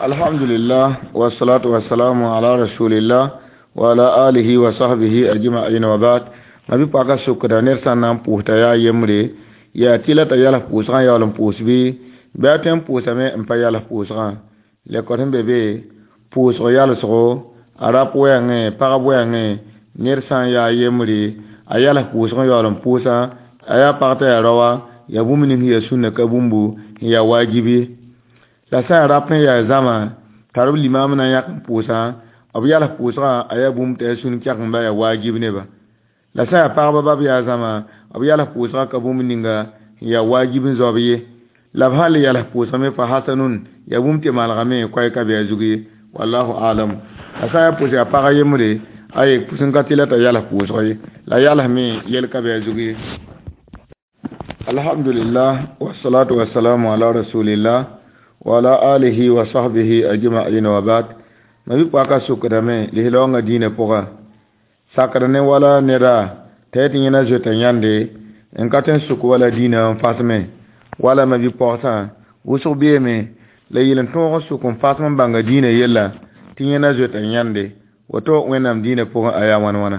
Alhamdulillah wassalatu wassalamu ala rasulillah wa ala alihi wa sahbihi ajma'in wa ba'd. Ma bi paka sukra ner sã n na n pʋʋsta yaa yembre, yaa tɩla t'a yals pʋʋsgã yaool n pʋʋs bɩ, bɩ a tõe n pʋʋsame n pa yals pʋʋsgã. Lekor sẽn be be pʋʋsg yalsgo, a rap wɛɛngẽ, pagb wɛɛngẽ, ned sã n yaa yembre, a yals pʋʋsg n yaool n pʋʋsa, a yaa pag t'a yaa raoa, yaa bũmb ning sẽn yaa sũnna ka bũmbu n yaa waajib ye. La sã n yaa rap sẽn yaa zãma, tar b limaam na n yãk n pʋʋsã, b yals pʋʋsgã a yaa bũmb t'a yaa sũn kɛgemba yaa waajib neba. La sã n yaa pagba bab yaa zãma, b yals pʋʋsgã ka bũmb ninga n yaa waajib n zaob ye. La b sãn le yals pʋʋsg me fa hasanun, yaa bũmb tɩ malgame koɛɛ ka be a zug ye. Wallahu alam. La sã n yaa pʋʋs yaa pag yembre, aye pʋʋs n ka tɩ la t'a yals pʋʋsg ye. La yalsme yel ka be a zug ye. Alhamdulillah wassalatu wassalamu ala rasulillah wa ala alihi wa sahbihi ajma'in wa ba'd. Ma bi paka sukdame lihlaonga diine pʋga. Sakr ne wala neda t'a tɩ yẽna zoeta yãnde n ka tõe n sʋk wala diinã n fasme wala ma bi pagsã wʋsg beeme la yel n tõog n sʋk n fasm n bãnga diinã yella tɩ yẽna zoeta yãnde woto Wẽnnaam diinã pʋgẽ a yaa wãn wãna.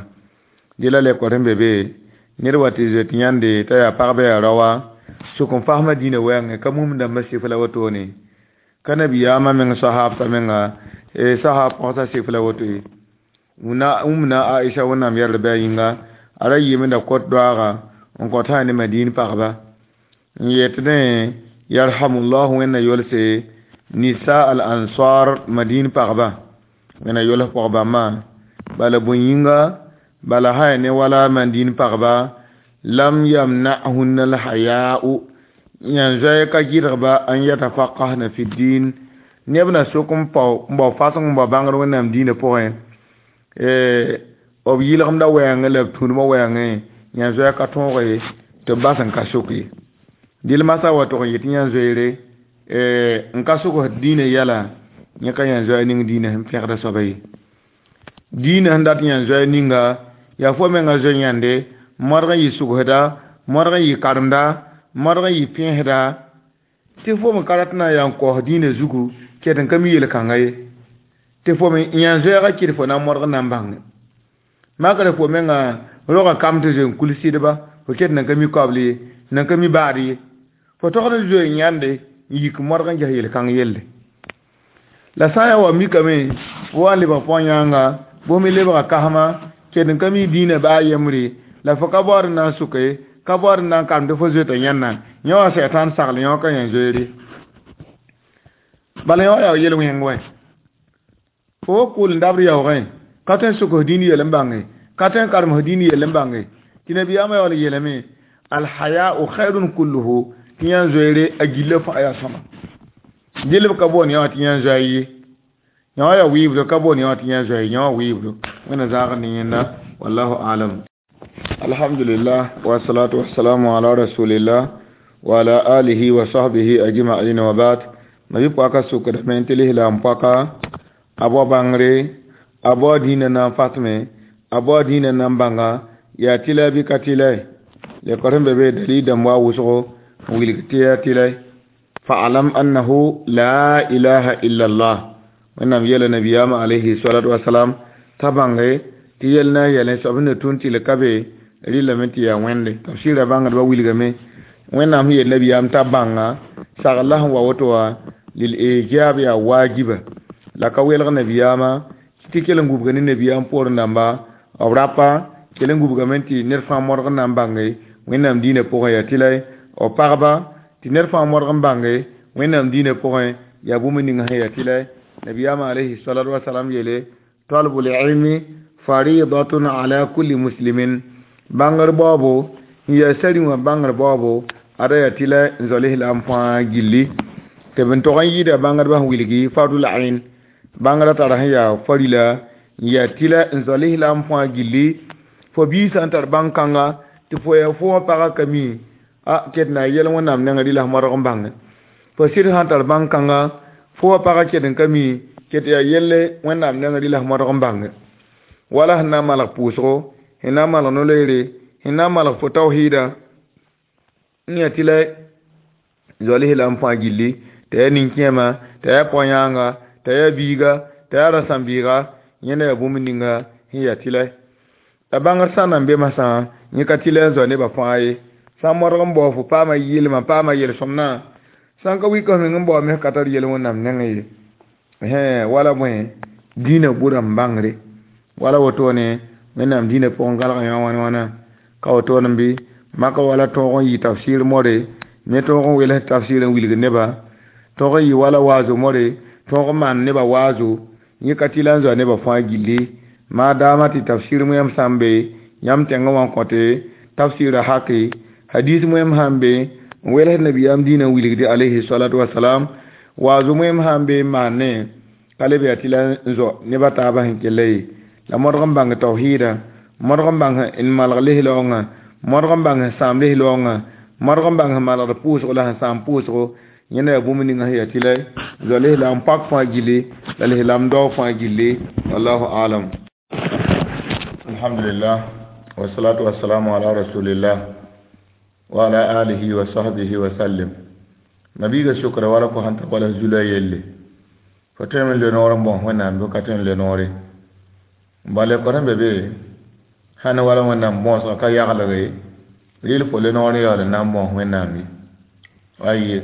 Dɩ la lekor sẽn be be ned wa tɩ zoet yãnde t'a yaa pagba yaa raoa sʋk n fasmã diinã wɛɛngẽ ka mum dãmbã sɩf la wotone ka nabiyaamã meng sahaabtã menga sahab pagsã sɩf la woto ye. Wũmna Aisha Wẽnnaam yɛrd bɩ a yĩnga a ra yɩɩm da kõt doaaga n kõt sã ne Madin pagba n yetdẽ yarhamullahu Wẽnna yolse nisa al ansar Madin pagba Wẽnna yols pag-bãmbã bala bõe yĩnga bala sã ne wala Madin pagba lam yamna'hunna al-haya'u yãn zoɛɛ ka gɩdgba an yatafaqahna fi din neb na sok n pao n bao faseng n bao bãngr Wẽnnaam diinã pʋgẽ b yɩlgemda wɛɛngẽ la b tũudmã wɛɛngẽ yãn zoɛɛ ka tõog ye tɩ b bas n ka sok ye. Dɩl masã wa tʋg n yetɩ yãn zoeere n ka sogsd diinã yɛla yẽ ka yãn zoɛɛ ning diinã sẽn pẽgda soaba ye. Diinã sẽn dat yãn zoɛɛ ninga yaa fo menga zoe yãnde modg n yɩ sugsda, modg n yɩ karemda, modg n yɩ pẽesda tɩ fo me ka rat n na n yaa n kaoos diinã zugu ket n ka mi yel-kãnga ye. Tɩ fo me yãn zoɛɛgã kɩt fo na n modg n na n bãnge. Makr fo menga rogã kam tɩ zoe n kul sɩdba fo ket nan ka mi koabl ye, nan ka mi baad ye. Fo togd n zoe n yãnde n yik modg n ges yel-kãng yelle. La sã n yaa wa mikame fo wa n lebg pʋgã yãanga bõe me lebga kasma ket n ka mi diinã baa yembre la fo ka baood n na n sʋke ka baood n na n karem tɩ fo zoeta yãnna yẽ wã sɛtãan sagl yẽ wã ka yãn zoeere. Bala yẽ wã yaa yel-wẽng wɛ. Fo wa kʋʋl n dabd yaoogẽ ka tõe n sʋk f dĩin yell n bãnge ka tõe n karem f dĩin yell n bãnge tɩ nabiyaamã yaool yeelame alhaya'u khairun kulluhu tɩ yãn zoeere a gilla fãa yaa sõma. Dɩl b ka boond yã wã tɩ yãn zoɛɛ ye. Yã wã yaa wɩɩbdo ka boond yã wã tɩ yãn zoɛɛ yã wã wɩɩbdo. Wẽnna zãagd ne yẽnda wallahu alam. Alhamdulillah wassalatu wassalamu ala rasulillah wa ala alihi wa sahbihi ajma'in wa ba'd. Ma bi paka sukdame tɩ lislaam paka a bao bãngre a bao dĩinã na n fasme a bao dĩinã na n bãnga yaa tɩlɛ bɩ ka tɩlɛ lekor sẽn be be dalil dãmb wa wʋsgo n wilg tɩ yaa tɩlɛ. Fa'alam annahu la ilaha illa allah. Wẽnnaam yeela nabiyaamã alayhi salatu wasalam t'a bãnge tɩ yel na n yɛlẽ soab sẽn na tũn tɩ l ka be rɩlame tɩ yaa wẽnde tafsɩɩrã bãngdbã wilgame Wẽnnaam sẽn yel nabiyaam t'a bãnga sagl la sẽn wa woto wã lil ijab yaa waajiba la ka welg nabiyaamã tɩ kell n gubga ne nabiyaam poorẽ dãmba b rapa kell n gubgame tɩ ned fãa modg n na n bãnge Wẽnnaam diinã pʋgẽ yaa tɩlɛ b pagba tɩ ned fãa modg n bãnge Wẽnnaam diinã pʋgẽ yaa bũmb ning sẽn yaa tɩlɛ nabiyaamã alayhi salatu wasalam yeele talbul ilmi faridatun ala kulli muslimin bãngr baoobo n yaa sari wã bãngr baoobo ada yaa tɩlɛ n zao lislaam fãa gilli tɩ b n tog n yɩɩda bãngdbã sẽn wilgi fardul ain bãngrã tara sẽn yaa farila n yaa tɩlɛ n zao lislaam fãa gilli fo biig sã n tar bãng-kãnga tɩ fo yaa fo wã pagã ka mi a ket na yɛl Wẽnnaam nengẽ rɩla f modg n bãnge fo sɩd sã n tar bãng-kãnga fo wã pagã ket n ka mi ket yaa yelle Wẽnnaam nengẽ rɩla f modg n bãnge wala sẽn na n malg pʋʋsgo sẽn na n malg no-loeere sẽn na n malg fo tawhiida n yaa tɩlɛ zoa lislaam fãa gilli t'a yaa nin-kẽema t'a yaa pʋgã yãanga T'a yaa biiga, t'a yaa rasam-biiga, yẽnda yaa bũmb ninga sẽn yaa tɩlɛ. La bãngr sã n na n be masã, yẽ ka tɩlɛ n zoa nebã fãa ye. Sã n modg n bao fo paama yɩlmã, paama yel-sõmdã, sã n ka wik f meng n bao mes ka tar yel Wẽnnaam nengẽ ye. Wala bõe dĩinã bʋdã n bãngre. Wala wotone Wẽnnaam dĩinã pʋgẽ gãlg yã wãn wãna. Ka wotone bɩ maka wala tõog n yɩ tafsir more, me tõog n wels tafsir n wilg neba, tõog n yɩ wala waazo more, tõog n maan nebã waazo, yẽ ka tɩlɛ n zoa nebã fãa gilli. Maadaama tɩ tafsir wẽem sã n be yãmb tẽngã wã n kõte tafsɩra hake, hadis wẽem sã n be n wels nabiyaam dĩinã n wilgde alayhi salatu wasalam, waazo wẽem sã n be n maane ka leb yaa tɩlɛ n zo nebã taabã sẽn kella ye. La modg n bãng tawhiidã, modg n bãng n malg lis-laoongã, modg n bãng n sãam lis-laoongã, modg n bãng n malgd pʋʋsgo la sẽn sãam pʋʋsgo, yẽnda yaa bũmb ninga sẽn yaa tɩlɛ n zoa lislaam pak fãa gilli la lislaam dao fãa gilli. Wallahu alam. Alhamdulillah, wassalatu wassalamu ala rasulillah wa ala alihi wa sahbihi wa sallim. Nabiga shukra wala ko hanta wala zula yelle. Fo tõe n le noor n bõs Wẽnnaam bɩ ka tõe n le noore. Bala kõ sẽn be be sãn wala Wẽnnaam bõosga ka yaglge, rɩl fo le noor n yaool n na n bõos Wẽnnaam ye. Aye.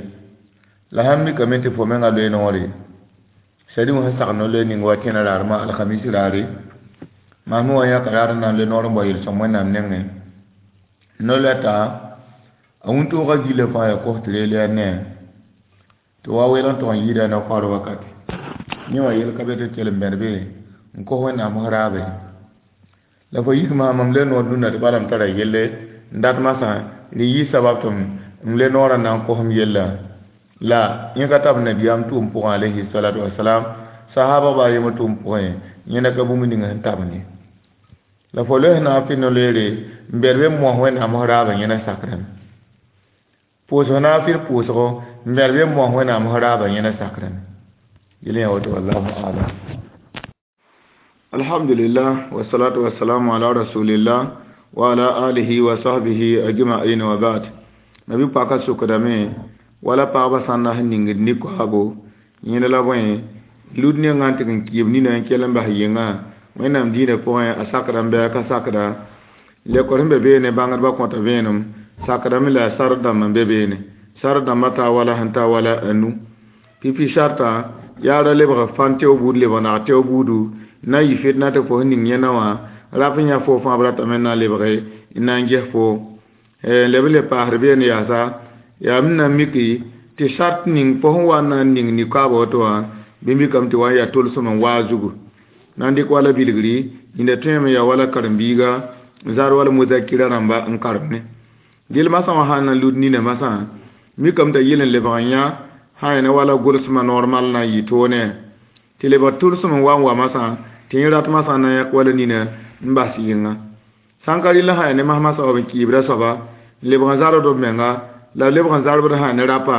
La sãn mikame tɩ fo menga loe noore, sadi wã sẽn sagl no-loe ning wa tẽna raarmã alhamisi raare, maasmẽ wã yãka raar n na n loe noor n bao yel-sõm Wẽnnaam nengẽ. No-loɛta a wũntoogã gillã fãa yaa kos tɩ reel yaa nee tɩ wa welg n tog n yɩɩda no-kaoor wakate. Yẽ wã yel ka be tɩ kell n bẽd be n kos Wẽnnaam f raabe. La fo yik maam m le noor dũnna tɩ bala m tara yelle n dat masã rɩ yɩ sabab tɩ m le noorã na n kos m yella. La yẽ ka tab nabiyaam tʋʋm pʋgẽ alayhi salatu wasalam, sahaba ba a yembr tʋʋm pʋgẽ, yẽnda ka bũmb ning sẽn tab ne. La fo loes na n fɩ no-loeere n bɛd be n mos Wẽnnaam f raabã yẽna sakrame. Pʋʋsg na n fɩ pʋʋsgo n bɛd be n mos Wẽnnaam f raabã yẽna sakrame. Yel yã woto wallahu alam. Alhamdulillah, wassalatu wassalamu ala rasulillah wa ala alihi wa sahbihi ajma'in wa ba'd. Nabi paka sukdame wala pagba sãn na sẽn ningd ne-koaabo yẽnd la bõe lud nengã n tɩg n kɩɩb nina n kell n bas yɩngã Wẽnnaam dĩinã pʋgẽ a sakda n bɩ a ka sakda. Lekor sẽn be beene bãngdbã kõta vẽenem sakdame la a sar dãmb n be beene. Sar dãmbã taa wala sẽn taa wala a nu. Pipi sartã yaa ra lebg fãn teo buud lebg nag teo buudu na n yɩ fitna tɩ fo sẽn ning yẽna wã rap n yã fo fãa b ratame n na n lebge n na n ges fo. N leb n le paasd beene yaasa yaa m na n miki tɩ sart ning fo sẽn wa n na n ning nikoaaba woto wã bɩ mikame tɩ wa n yaa tolsem n waa zugu. Na n dɩk wala bilgri yĩnda tõeme yaa wala karen-biiga n zar wala muzakira rãmba n karemne. Dɩl masã wã sã n na n lud nina masã mikame t'a yel n lebg n yã sã n wala gʋlsmã normal na n yɩ toonẽ tɩ lebg tʋlsem n wa n wa masã tɩ yẽ rat masã na n yãk wala nina n bas yɩnga. Sã n ka rɩl sã ya ne mas masã wa b n kɩɩbda soaba n lebg n zarbd b menga la b lebg n zarbd sã ne rapa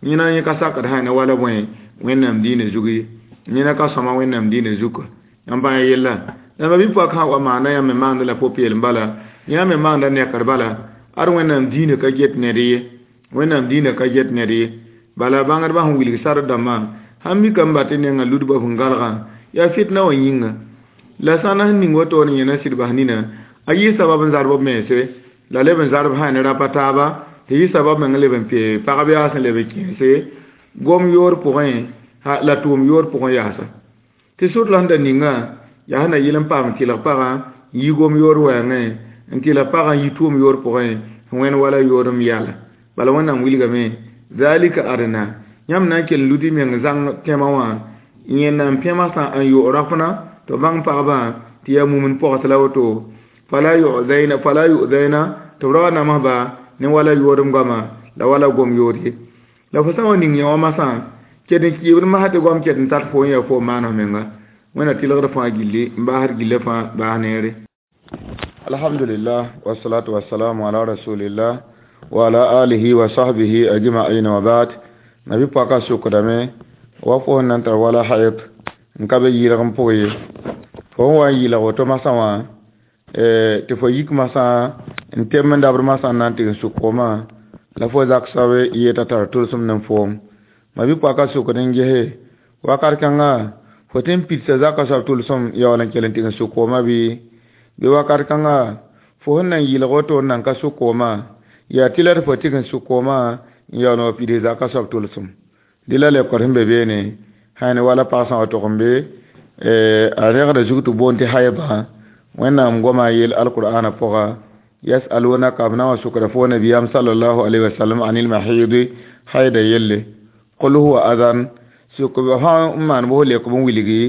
yẽna yẽ ka sakd sã ne wala bõe Wẽnnaam dĩinã zug ye. Yẽna ka sõma Wẽnnaam dĩinã zuka. Yãmb bãng yella. La ma-bi-poak sã wa maanda yãmb me maanda la pʋ-peelem bala, yãmb me maanda nekr bala, ad Wẽnnaam dĩinã ka get ned ye. Wẽnnaam dĩinã ka get ned ye. Bala bãngdbã sẽn wilg sar dãmbã sãn mikame ba tɩ nengã ludbã b sẽn galgã yaa fitna wã yĩnga. La sã n na sẽn ning woto ne yẽna sɩd bas nina a yɩ sabab n zarb b mense la leb n zarb sã ne rapa taaba tɩ yɩ sabab meng leb n pee pagb yaas n leb n kẽese gom yoor pʋgẽ la tʋʋm yoor pʋgẽ yaasa. Tɩ sʋd la sẽn da ninga yaa sẽn na yɩl n paam tɩlg pagã n yi gom yoor wɛɛngẽ n tɩlg pagã n yi tʋʋm yoor pʋgẽ sẽn wẽnd wala yoor n yala. Bala Wẽnnaam wilgame zalika adna yãmb na n kell n lud y meng zãng tẽmã wã yẽnnaam pẽmã sã n yo rafna tɩ bãng pagbã tɩ yaa mumn pogs la woto fala yu'zaina tɩ b ra wa namsba ne wala yoodem goama la wala gom yoor ye. La fo sã n wa ning yã wã masã ket n kɩɩbd masã tɩ goam ket n tar fo n yaa fo n maan f menga. Wẽnna tɩlgd fãa gilli n baasd gillã fãa baas neere. Alhamdulillah, wassalatu wassalamu ala rasulillah wa ala alihi wa sahbihi ajma'in wa ba'd. Nabi paka sukdame wa fo nan tar wala hayd n ka be yɩlg n pʋg ye. Fo n wa n yɩlg woto masã wã tɩ fo yik masã n tem n dabd masã n na n tɩg n sʋk foomã la fo zak soab yeta tar tʋlsem ne foom. Ma-bi-poaka sukd n gese Wakat kãnga fo tõe n pidsa zakã soab tʋlsem yaool n kell n tɩg n sʋk koomã bɩ? Bɩ wakat kãnga fo sẽn nan yɩlg woto n nan ka sʋk koomã, yaa tɩ la d fo tɩg n sʋk koomã n yaool n wa pids zakã soab tʋlsem. Dẽ la lekor sẽn be beene sã ne wala pag sã wa tog n be a rẽgda zug tɩ boond tɩ haybã. Wẽnnaam goma a yeel alqur'ana pʋga: yasalunaka, b na n wa sʋkda fo nabiyaam sallallahu alaihi wasallam anil mahidi, haida yelle. Qul huwa adan, sʋk sã n maan bʋs lek b n wilgi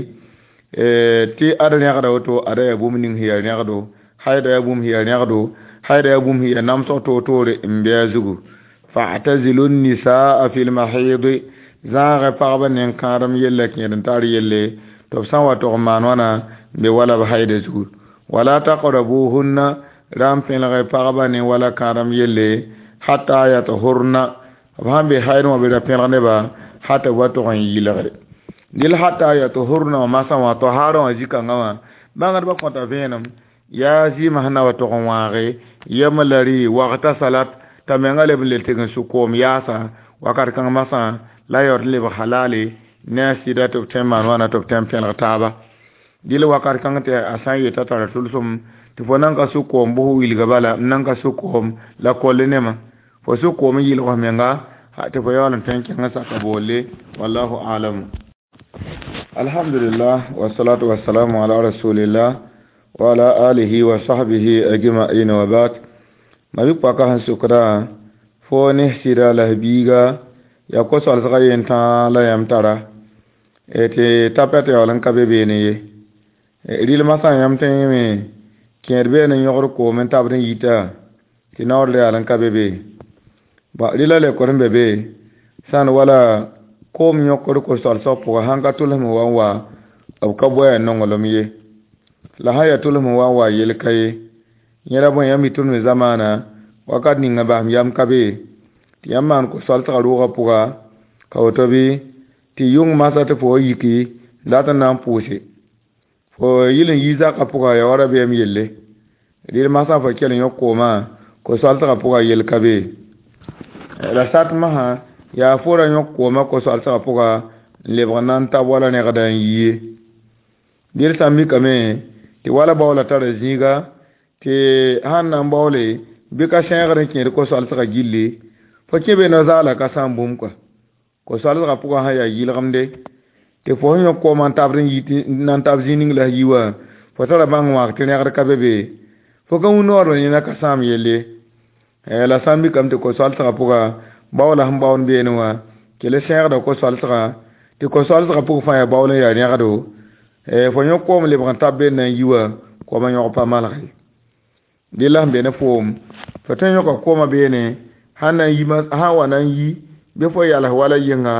tɩ ad rẽgda woto, ada yaa bũmb ning sẽn yaa rẽgdo, haida yaa bũmb sẽn yaa rẽgdo, haida yaa bũmb sẽn yaa namsg toor-toore n bɩ a zugu. Fa'tazilu nisaa fi lmahidi, zãagẽ pagba nen kãadem yella kẽed n tar yelle tɩ b sã n wa tog n maan wãna n be wala b haida zugu. Wala taqrabuhunna, ra n pẽlge pagba ne wala kãadem yelle hata yatahurna, b sãn be haid wã bɩ ra pẽlg neba hata b wa tog n yɩlgre. Dɩl hata yatahurna wã masã wã tahaarã wã zĩ-kãngã wã bãngdbã kõta vẽenem yaa zɩɩmã sẽn na wa tog n wãage yem la rɩ wagta salat t'a menga leb n le tɩg n sʋk koom yaasa wakat kãng masã la yaood n lebg halale ne a sɩda tɩ b tõe n maan wãna tɩ b tõe n pẽlg taaba. Dɩl wakat kãng tɩ a sã n yeta tara tʋlsem tɩ fo nan ka sʋk koom bʋs wilga bala n nan ka sʋk koom la kolle nema fo sʋk koom n yɩlg f menga tɩ fo yaool n tõe n kẽng n saka boole. Wallahu alam. Alhamdulillah, wassalatu wassalamu ala rasulillah wa ala alihi wa sahbihi ajma'in wa ba'd. Mabi paka sẽn sʋkda fo ne sɩda la biiga yaa ko-soalsgã yen tãa la yãmb tara tɩ tapɛt yaool n ka be beene ye. Rɩlmã sã yãmb tõe me kẽed beene n yõgd koom n tabd n yita tɩ naoor yaal n ka be be. Rɩla lekor n be be sã n wala koom yõkd ko-soalsg pʋga sãn ka tʋlsem wa n wa b ka boa yaa nonglem ye, la sã n yaa tʋlsem wa n wa yel ka ye. Yẽla bõe yãmb mi tɩ d me zamaana wakat ninga basem yam ka be tɩ yãmb maan ko-soalsgã rʋʋgã pʋga ka woto bɩ tɩ yʋng masã tɩ fo wa yiki dat n na n pʋʋse fo yɩl n yi zakã pʋga ya wa rabeem yelle. Rɩl masã fo kell n yõk koomã ko-soalsgã pʋga yel ka be. La sat masã yaa fo ra yõk koomã ko-soalsgã pʋga n lebg n na n tab wala rẽgda n yi ye. Dɩl sã n mikame tɩ wala baoola tara zĩiga tɩ sãn na n baoole bɩ ka sẽegr n kẽed ko-soalsgã gilli fo kẽ be no-zaala ka sãam bũmb kɔa ko-soalsgã pʋgã sã yaa yɩlgemde tɩ fo sẽn yõk koomã n tabd n yi na n tab zĩig ning la yi wã fo tara bãng wãag tɩ rẽgd ka be be fo ka wũ noor yẽna ka sãam yelle. La sã n mikame tɩ ko-soalsgã pʋga baoola sẽn baoond beene wã kell sẽegda ko-soalsgã tɩ ko-soalsgã pʋg fãa yaa baool n yaa rẽgdo fo yõk koom lebg n tab beene na n yi wã koomã yõg pa malge. Dɩ la sẽn be ne foom fo tõe n yõka koomã beene sãn na n yi sã n wa na n yi bɩ fo yals wala yɩnga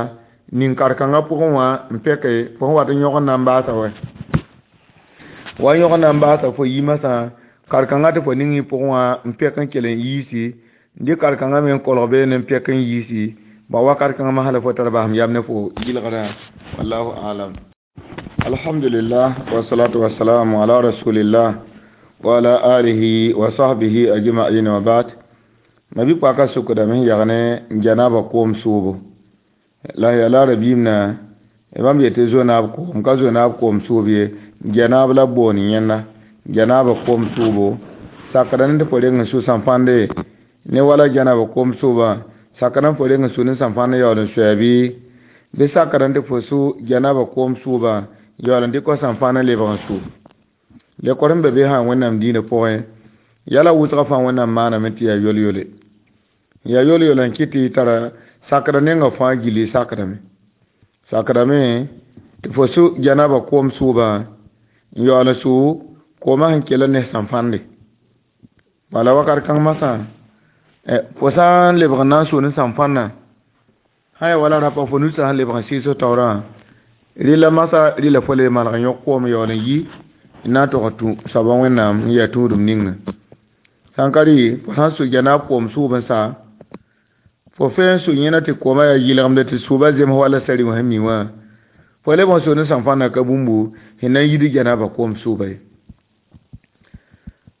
nin-kar-kãngã pʋgẽ wã n pɛke fo sẽn wat n yõg n na n baasa wɛ wa yõg n na n baasa fo yi masã kar-kãngã tɩ fo ning y pʋgẽ wã n pɛk n kell n yiisi dɩ kar-kãngã me n kolg beene n pɛk n yiisi ba wakat kãngã masã la fo tar basem yam ne fo yɩlgrã. Wallahu alam. Alhamdulillah, wassalatu wassalamu ala rasulillah wa ala alihi wa sahbihi ajma'in wa ba'd. Mabi paka sʋkdame sẽn yag ne janaba koom sʋʋbo la yaa la rabiim na bãmb yetɩ zo-naab koom ka zo-naab koom sʋʋb ye janaab la boon yẽnna janaba koom sʋʋbo sakda ne tɩ fo reng n sʋ sãn-fãnde ne wala janaba koom sʋʋbã sakda n fo reng n sʋ ne sãn-fãnd yaool n soa bɩ sakda tɩ fo sʋ janaba koom sʋʋbã yaool n dɩk sãn-fãnd n lebg n sʋ. Lekor sẽn be be sã wẽnnaam dĩinã pʋgẽ yala wʋsgã fãa wẽnnaam maaname tɩ yaa yol-yole yaa yol-yol n kɩt tɩ tara sakda nenga fãa gilli sakdame sakdame tɩ fo sʋ janaba koom sʋʋbã n yaool n sʋ koomã sẽn kell ne sãn-fãnde bala wakat kãng masã fo sã n lebg n na n sʋ ne sãn-fãndã sã ya wala rapa fo nusã sẽn lebg n sɩɩs taoorã rɩla masã rɩla fo le malg n yõk koom yaool n yi n na n tog n tũ soaba wẽnnaam n yaa tũudum ninga. Sã n ka rɩ fo sã n sʋ janaab koom sʋʋb n sa fo fẽe n sʋ yẽna tɩ koomã yaa yɩlgemde tɩ sʋʋbã zems wala sari wã sẽn mi wã fo lebg n sʋ ne sãn-fãndã ka bũmbu sẽn na n yid janaba koom sʋʋba ye.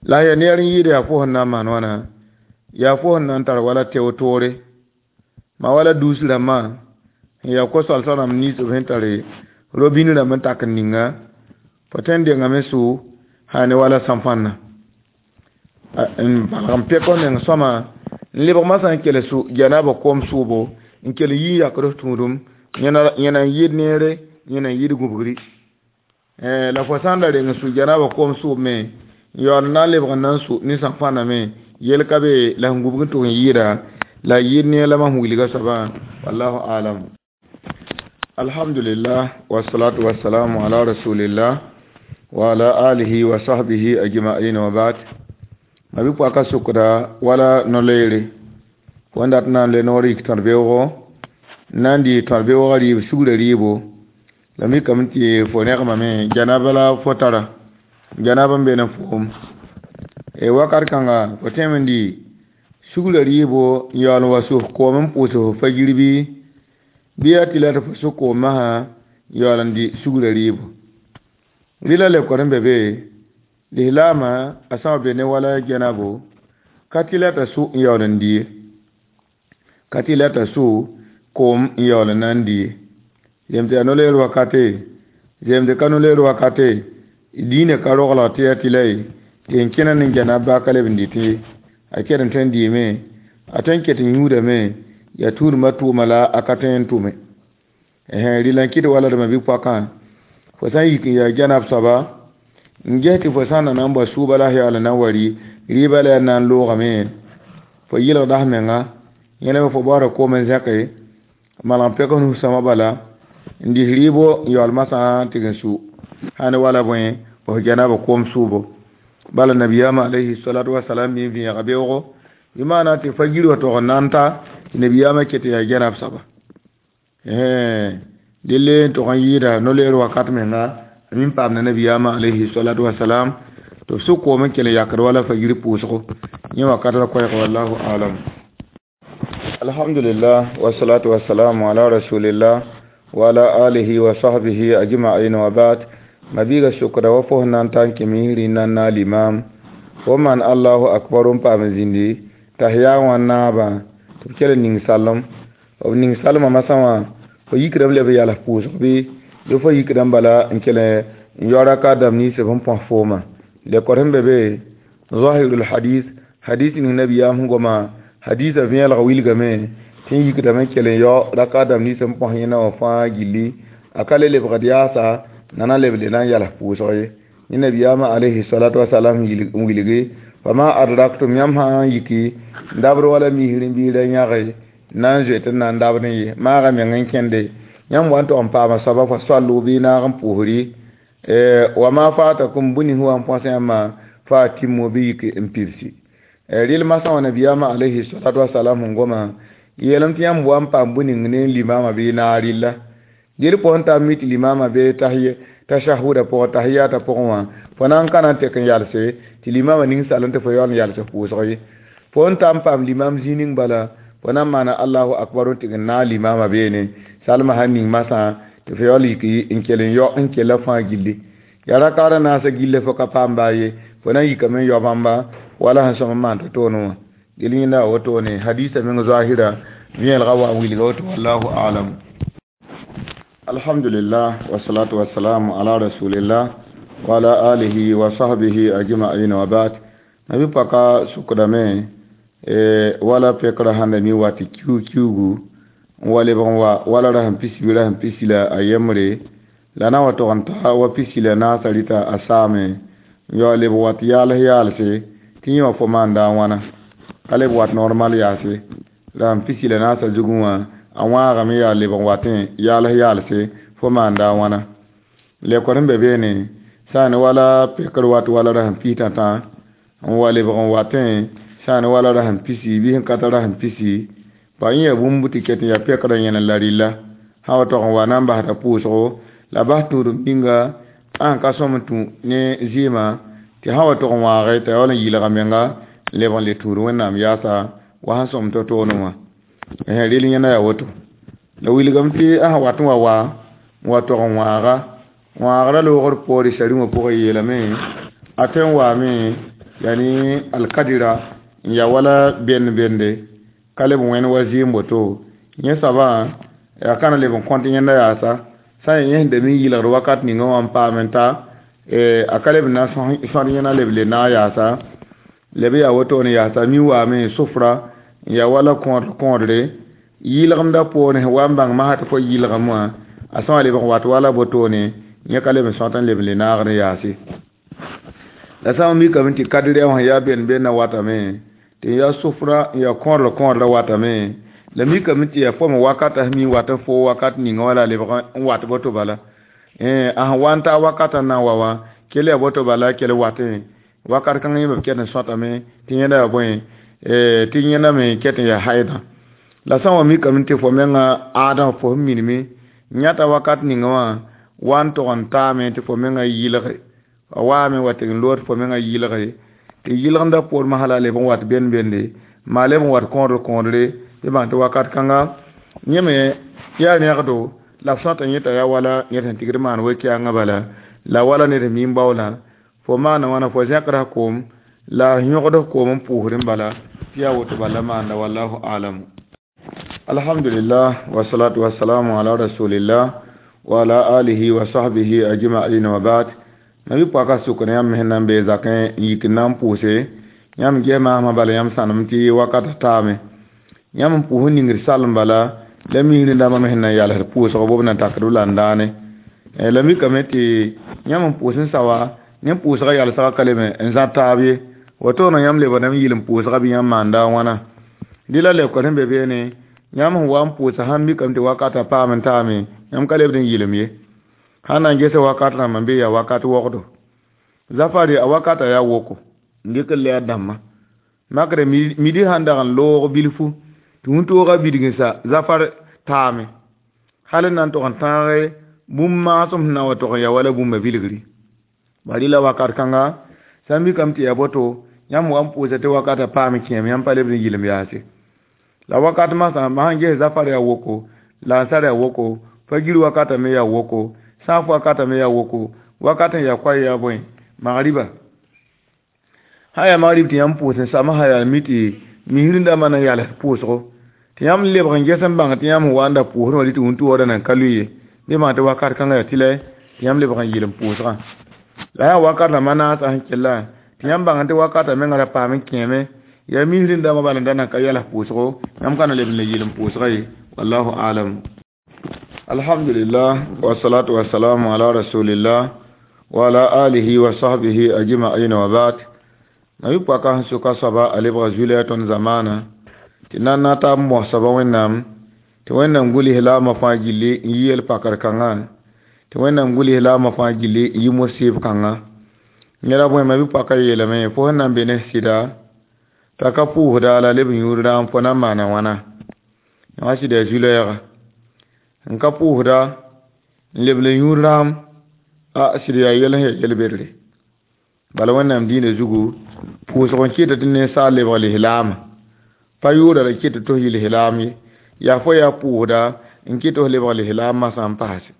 La yaa neer n yɩɩda yaa fo sẽn na n maan wãna yaa fo sẽn na n tar wala teo toore ma wala duus rãmbã Ya ko-soalsã rãmb nins b sẽn tare robin rãmb n tak n ninga fo tõe n dengame sʋ sã ne wala sãn-fãnna n balg n pek f meng sõma n lebg masã n kell sũ janaba koom sʋʋbo n kell yi n yakd f tũudum yẽna n yɩɩd neere yẽna n yɩɩd gũbgri la fo sã n da reng n sũ janaba koom sʋʋb me n yaool n na n lebg n na n sũ ne sãn-fãnna me yel ka be la sẽn gũbg n tʋg n yɩɩda la yɩɩd neer la mam wilga soabã wallahu alam. Alhamdulillah wassalatu wassalamu ala rasulillah wa ala alihi wa sahbihi ajma'in wa ba'd. Mabi pɔka sʋkda wala no-loeere fo n dat n na n le noor yik tõd-beoogo n na n dɩ tõd-beoogã rɩɩb sugrã rɩɩbo la mikame tɩ fo rẽgmame janaba la fo tara janaba n be ne foom wakat kãnga fo tõeme n dɩ sugrã rɩɩbo n yaool n wa sus koom n pʋʋs f fagir bɩ bɩ yaa tɩ la tɩ fo sʋk koom masã n yaool n dɩ sugrã rɩɩbo rɩla lekor n be be lislaamã a sã wa be ne wala janabo ka tɩ la t'a sʋ n yaool n dɩ ye ka tɩ la t'a sʋ koom n yaool n na n dɩ ye zem tɩ yaa no-loeer wakate zem tɩ ka no-loeer wakate diinã ka roglg tɩ yaa tɩ la ye tɩ n kẽna ne janab baa ka leb n dɩtẽ ye a ket n tõe n dɩɩme a tõe n ket n yũudame yaa tũudmã tʋʋma la a ka tõe n tʋme rɩla n kɩt wala d ma-bi-poakã fo sã n yik n yaa janab soaba n ges tɩ fo sã n na n bao sʋʋba la yaool n na n wa rɩ rɩɩbã la yaa na n loogame fo yɩlgda f menga yẽlame fo baoora koom n zẽke malg n pek f nus-sõma bala n dɩs rɩɩbo n yaool masã tɩg n su sã ne wala bõe f janaba koom sʋʋbo bala nabiyaamã alayhi salatu wasalam mi n vẽega beoogo bɩ maana tɩ fagir wa tog n na n ta tɩ nabiyaamã ket n yaa janab soaba delle n tog n yɩɩda no-loeer wakat menga min paam na nabiyaamã alayhi salatu wasalam tɩ b sʋk koom n kell n yakd wala fagir pʋʋsgo yẽ wakat la koɛɛg wallahu alam. Alhamdulillah wassalatu wassalamu ala rasulillah wa ala alihi wa sahbihi ajma'in wa ba'd. Mabiiga sʋkda wa fos na n ta n kẽ misri n na n naag limam fo maan allahu akbar n paam zĩndi tahiya wã naabã tɩ b kell n ning salem b ning salmã masã wã fo yikdame leb n yals pʋʋsg bɩ fo yikdame bala n kell n yao raka dãmb nins b sẽn põs foomã lekor sẽn be be zahirul hadis hadis ning nabiyaam sẽn goma hadisa vẽelg wilgame tɩ n yikdame n kell n yao raka dãmb nins n põs yẽna wã fãa gilli a ka le lebgd yaasa nana leb le na n yals pʋʋsg ye yẽ nabiyaamã alayhi salatu wasalam n wilge fama adraktum yãmb sã n yiki n dabd wala misr n biida yãge na n zoet n na n dabd n ye maaga meng n kẽnde yãmb wa n tog n paama soaba fo soallo bɩ naag n pʋʋsri wa ma fatakum bũni sẽn wa n põs yãmbã fa a tɩmmo bɩ yik n pibsi rɩl masã wã nabiyaamã alayhi salatu wasalam sẽn goma yeelame tɩ yãmb wa n paam bũ-ning ne limama bɩ naag rɩlla dɩl pʋgẽ t'a mi tɩ limama bee tashahuda pʋgẽ tahiyata pʋgẽ wã fo na n ka na n tek n yalse tɩ limama ning sal n tɩ fo yaool n yals pʋʋsg ye fo n ta n paam limam zĩ ning bala fo na n maana allahu akbar n tɩg n naag limama beene salma sãn ning masã tɩ fo yaool yik n kell n yao n kella fãa gilli yaa rakaada naasã gilla fo ka paam baa ye fo na n yikame n yao bãmba wala sẽn sõm n maan to-toone wã del yẽnda a wotone hadisa meng zahira vẽelga wa n wilga woto wallahu alam. Alhamdulillah wassalatu wassalamu ala rasulillah wa ala alihi wa sahbihi ajma'in wa ba'd. Nabi paka sukdame wala pekra handa mi wati kiu kiugu n wa lebg n wa wala ra sẽn pisi ra sẽn pisi la a yembre la na wa tog n ta wa pisi la naasã rɩta a saame n yaool leb wat yaals yaalse tɩ yẽ wã fo maanda a wãna ka leb wat normal yaase la sẽn pisi la naasã zugẽ wã a wãagame yaa lebg n watẽ yaals yaalse fo maanda a wãna lekor sẽn be beene sã n ne wala pekr wat wala ra sẽn pis tãtã n wa lebg n watẽ sã n ne wala ra sẽn pisi bɩ sẽn ka tar ra sẽn pisi pa yẽ yaa bũmb tɩ ket n yaa pekrã yẽne la rɩlla sã wa tog n wa na n basda pʋʋsgo la bas tũudum ninga a sẽn ka sõm n tũ ne zɩɩmã tɩ sã wa tog n wãage t'a yaool n yɩlga menga n leb n le tũud wẽnnaam yaasa wa sẽn sõm to-toone wã rel yẽna yaa woto la wilgame tɩ a sẽn wat n wa n wa tog n wãaga wãagrã loogr poore sari-wã pʋgẽ yeelame a tõe n waame yani alkadira n yaa wala bend-bende ka leb wẽn wa zɩɩm woto yẽ soabã Ya kana leb n kõt yẽnda yaasa sã n yẽsda mi yɩlgd wakat ninga wã n paam n ta a ka leb n na n sõd yẽna leb le naag yaasa leb yaa wotone yaasa mi waame sufra n yaa wala kõodr kõodre yɩlgemdã poorẽ wa n bãng masã tɩ fo yɩlgem wã a sã wa leb n wat wala botone yẽ ka leb n sõt n leb n le naagd n yaase la sã n mikame tɩ kadrɛ wã yaa ben benda watame tɩ yaa sufra n yaa kõodr kõodrã watame la mikame tɩ yaa fo me wakata mi wat n fo wakat ninga wala lebg n wat boto bala a sẽn wa n taa wakatã na n wa wã kell yaa boto bala kell watẽ wakat kãng yẽ b ket n sõtame tɩ yẽnda yaa bõe tɩ yẽnda me ket n yaa haidã la sã n wa mikame tɩ fo menga aadã fo sẽn minime yãta wakat ninga wã wa n tog n taame tɩ fo menga yɩlge a waame wa tɩ n lood fo menga yɩlge tɩ yɩlgemdã poor masã la leb n wat bend bende maa leb n wat kõodr kõodre tɩ bãng tɩ wakat kãnga yẽ me yaa rẽgdo la f sõta yẽ t'a yaa wala ned sẽn tigd maan we-kɛɛngã bala la wala ned sẽn mi n baoolã fo maana wãna fo zẽkda koom la yõgd koom n pʋʋsdẽ bala tɩ yaa woto bala maanda wallahu alamu. Alhamdulillah wasalatu wasalamu ala rasulillah wa ala alihi wa sahbihi ajma'in wa ba'd. Nabi paka sʋk ne yãmb sẽn na n bee zakẽ n yik n na n pʋʋse yãmb ges maasmã bala yãmb sãnem tɩ wakata taame yãmb n pʋʋs n ningd salem bala la misrẽ dãmbã me sẽn na n yalsd pʋʋsg bob na takd b la n daane la mikame tɩ yãmb n pʋʋs n sa wa ne pʋʋsga yalsga ka leme n zã taab ye wotoone yãmb lebdame yɩl n pʋʋsga bɩ yãmb maanda a wãna dɩ la lebka sẽn be beene yãmb sẽn wa n pʋʋsa sãn mikame tɩ wakata paam n taame yãmb ka lebd n yɩlem ye sãn na n gesa wakat rãmba n be yaa wakat wogdo zafari a wakata yaa woko n dɩk n lɛɛr dãmbã makre midi sãn dag n loog bilfu tɩ wĩntoogã bidg n sa zafar taame hal n na n tog n tãage bũmb maasem sẽn na wa tog n yaa wala bũmba bilgri bari la wakat kãnga sã n mikame tɩ yaa boto yãmb wa n pʋʋsa tɩ wakata paam kẽem yãmb pa lebd n yɩlem yaase la wakat masã sãn ges zafar yaa woko la ansar yaa woko fagir wakata me yaa woko sãaf wakata me yaa woko wakat n yaa koay yaa bõe magriba sã yaa magrib tɩ yãmb pʋʋs n sama sã yaa mi tɩ misrẽndãmbã na n yals pʋʋsgo tɩ yãmb lebg n ges n bãng tɩ yãmb sẽn wa n da pʋʋsdẽ wã tɩ wĩntoogdã nan ka lʋɩ ye bɩ bãng tɩ wakat kãngã yaa tɩlɛ tɩ yãmb lebg n yɩl n pʋʋsgã la yaa wakat rãmbã naasã sẽn kella tɩ yãmb bãng tɩ wakatã mengã ra paam n kẽeme yaa misrẽndãmbã bala n da nan ka yals pʋʋsgo yãmb ka na leb n le yɩl n pʋʋsga ye wallahu alam. Alhamdulillah wasalatu wasalamu ala rasulillah wa ala alihi wa sahbihi ajma'in wa ba'd. Nabi paka sẽn sʋka soaba a lebga zulɛ tõnd zamaana tɩ nan na tab n mos soaba wẽnnaam tɩ wẽnnaam guls laamã fãa gilli n yi yel pakr kãngã tɩ wẽnnaam guls laamã fãa gilli n yi mosɩɩb kãngã neda bõe ma bi-paka yeelame fo sẽn na n be ne sɩda t'a ka pʋʋsda la leb n yũud raam fo na n maana wãna wã sɩda yaa zu-lɛɛga n ka pʋʋsda n lebl n yũud raam a sɩd yaa yɛl sẽn yaa yel-bedre bala wẽnnaam dĩinã zugu pʋʋsg n kɩta tɩ ninsaal lebg lislaamã pa yʋʋra la kɩta tɩ f yɩ lislaam ye yaa fo yaa pʋʋsda n kɩt tɩ f lebg lislaam masã n paase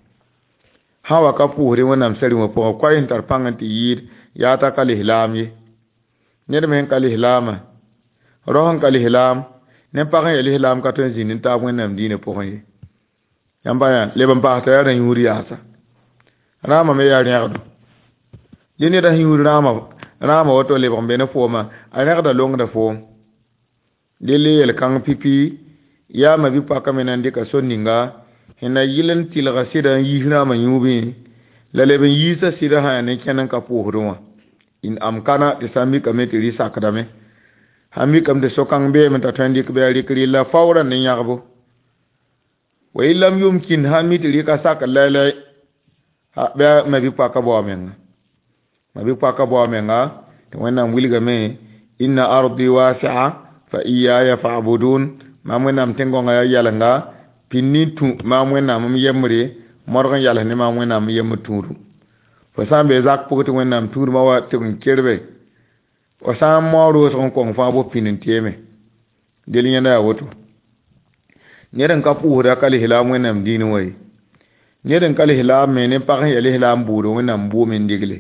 sã wa ka pʋʋsdẽ wẽnnaam sar-wã pʋgẽ koay sẽn tar pãng n tɩ yɩɩd yaa t'a ka lislaam ye ned me sẽn ka lislaamã rao sẽn ka lislaam ne pag sẽn yaa lislaam ka tõe n zĩnd n taab wẽnnaam dĩinã pʋgẽ ye yãmba yã leb n paas t'a yaa rã-yũud yaasa rãamã me yaa rẽgdo dẽ ned sẽn yũud rãamã woto lebg n be ne foomã a rẽgda longda foom del yel-kãng pipi yaa ma bi-paka me na n dɩka sor ninga sẽn na yɩl n tɩlga sɩda n yiis rãamã yũubẽ la leb n yiisa sɩda sã yaa ne kẽn n ka pʋʋsdẽ wã in amkana tɩ sã n mikame tɩ rɩ sakdame sã n mikame tɩ so-kãng beeme t'a tõe n dɩk bɩ a rɩk rɩlla faoorã ne yãgbo wa in lam yumkin sã n mi tɩ rɩka sak lailai bɩ a ma bi-paka bao menga ma bi-paka bao menga tɩ wẽnnaam wilgame inna ardi wasi'a fa iyaya fa'budun maam wẽnnaam tẽn-gõngã yaa yɛlenga pĩnd tũ maam wẽnnaam m yembre modg n yals ne maam wẽnnaam m yembr tũudum fo sã n be zak pʋgẽ tɩ wẽnnaam tũudmã wa tɩ n kerbe fo sã n mao roosg n kong fãa bo pĩnd n teeme del yẽnda yaa woto ned n ka pʋʋsda ka lislaam wẽnnaam dĩinẽ wã ye ned n ka lislaam me ne pag sẽn yaa lislaam buudã wẽnnaam bʋʋme n digle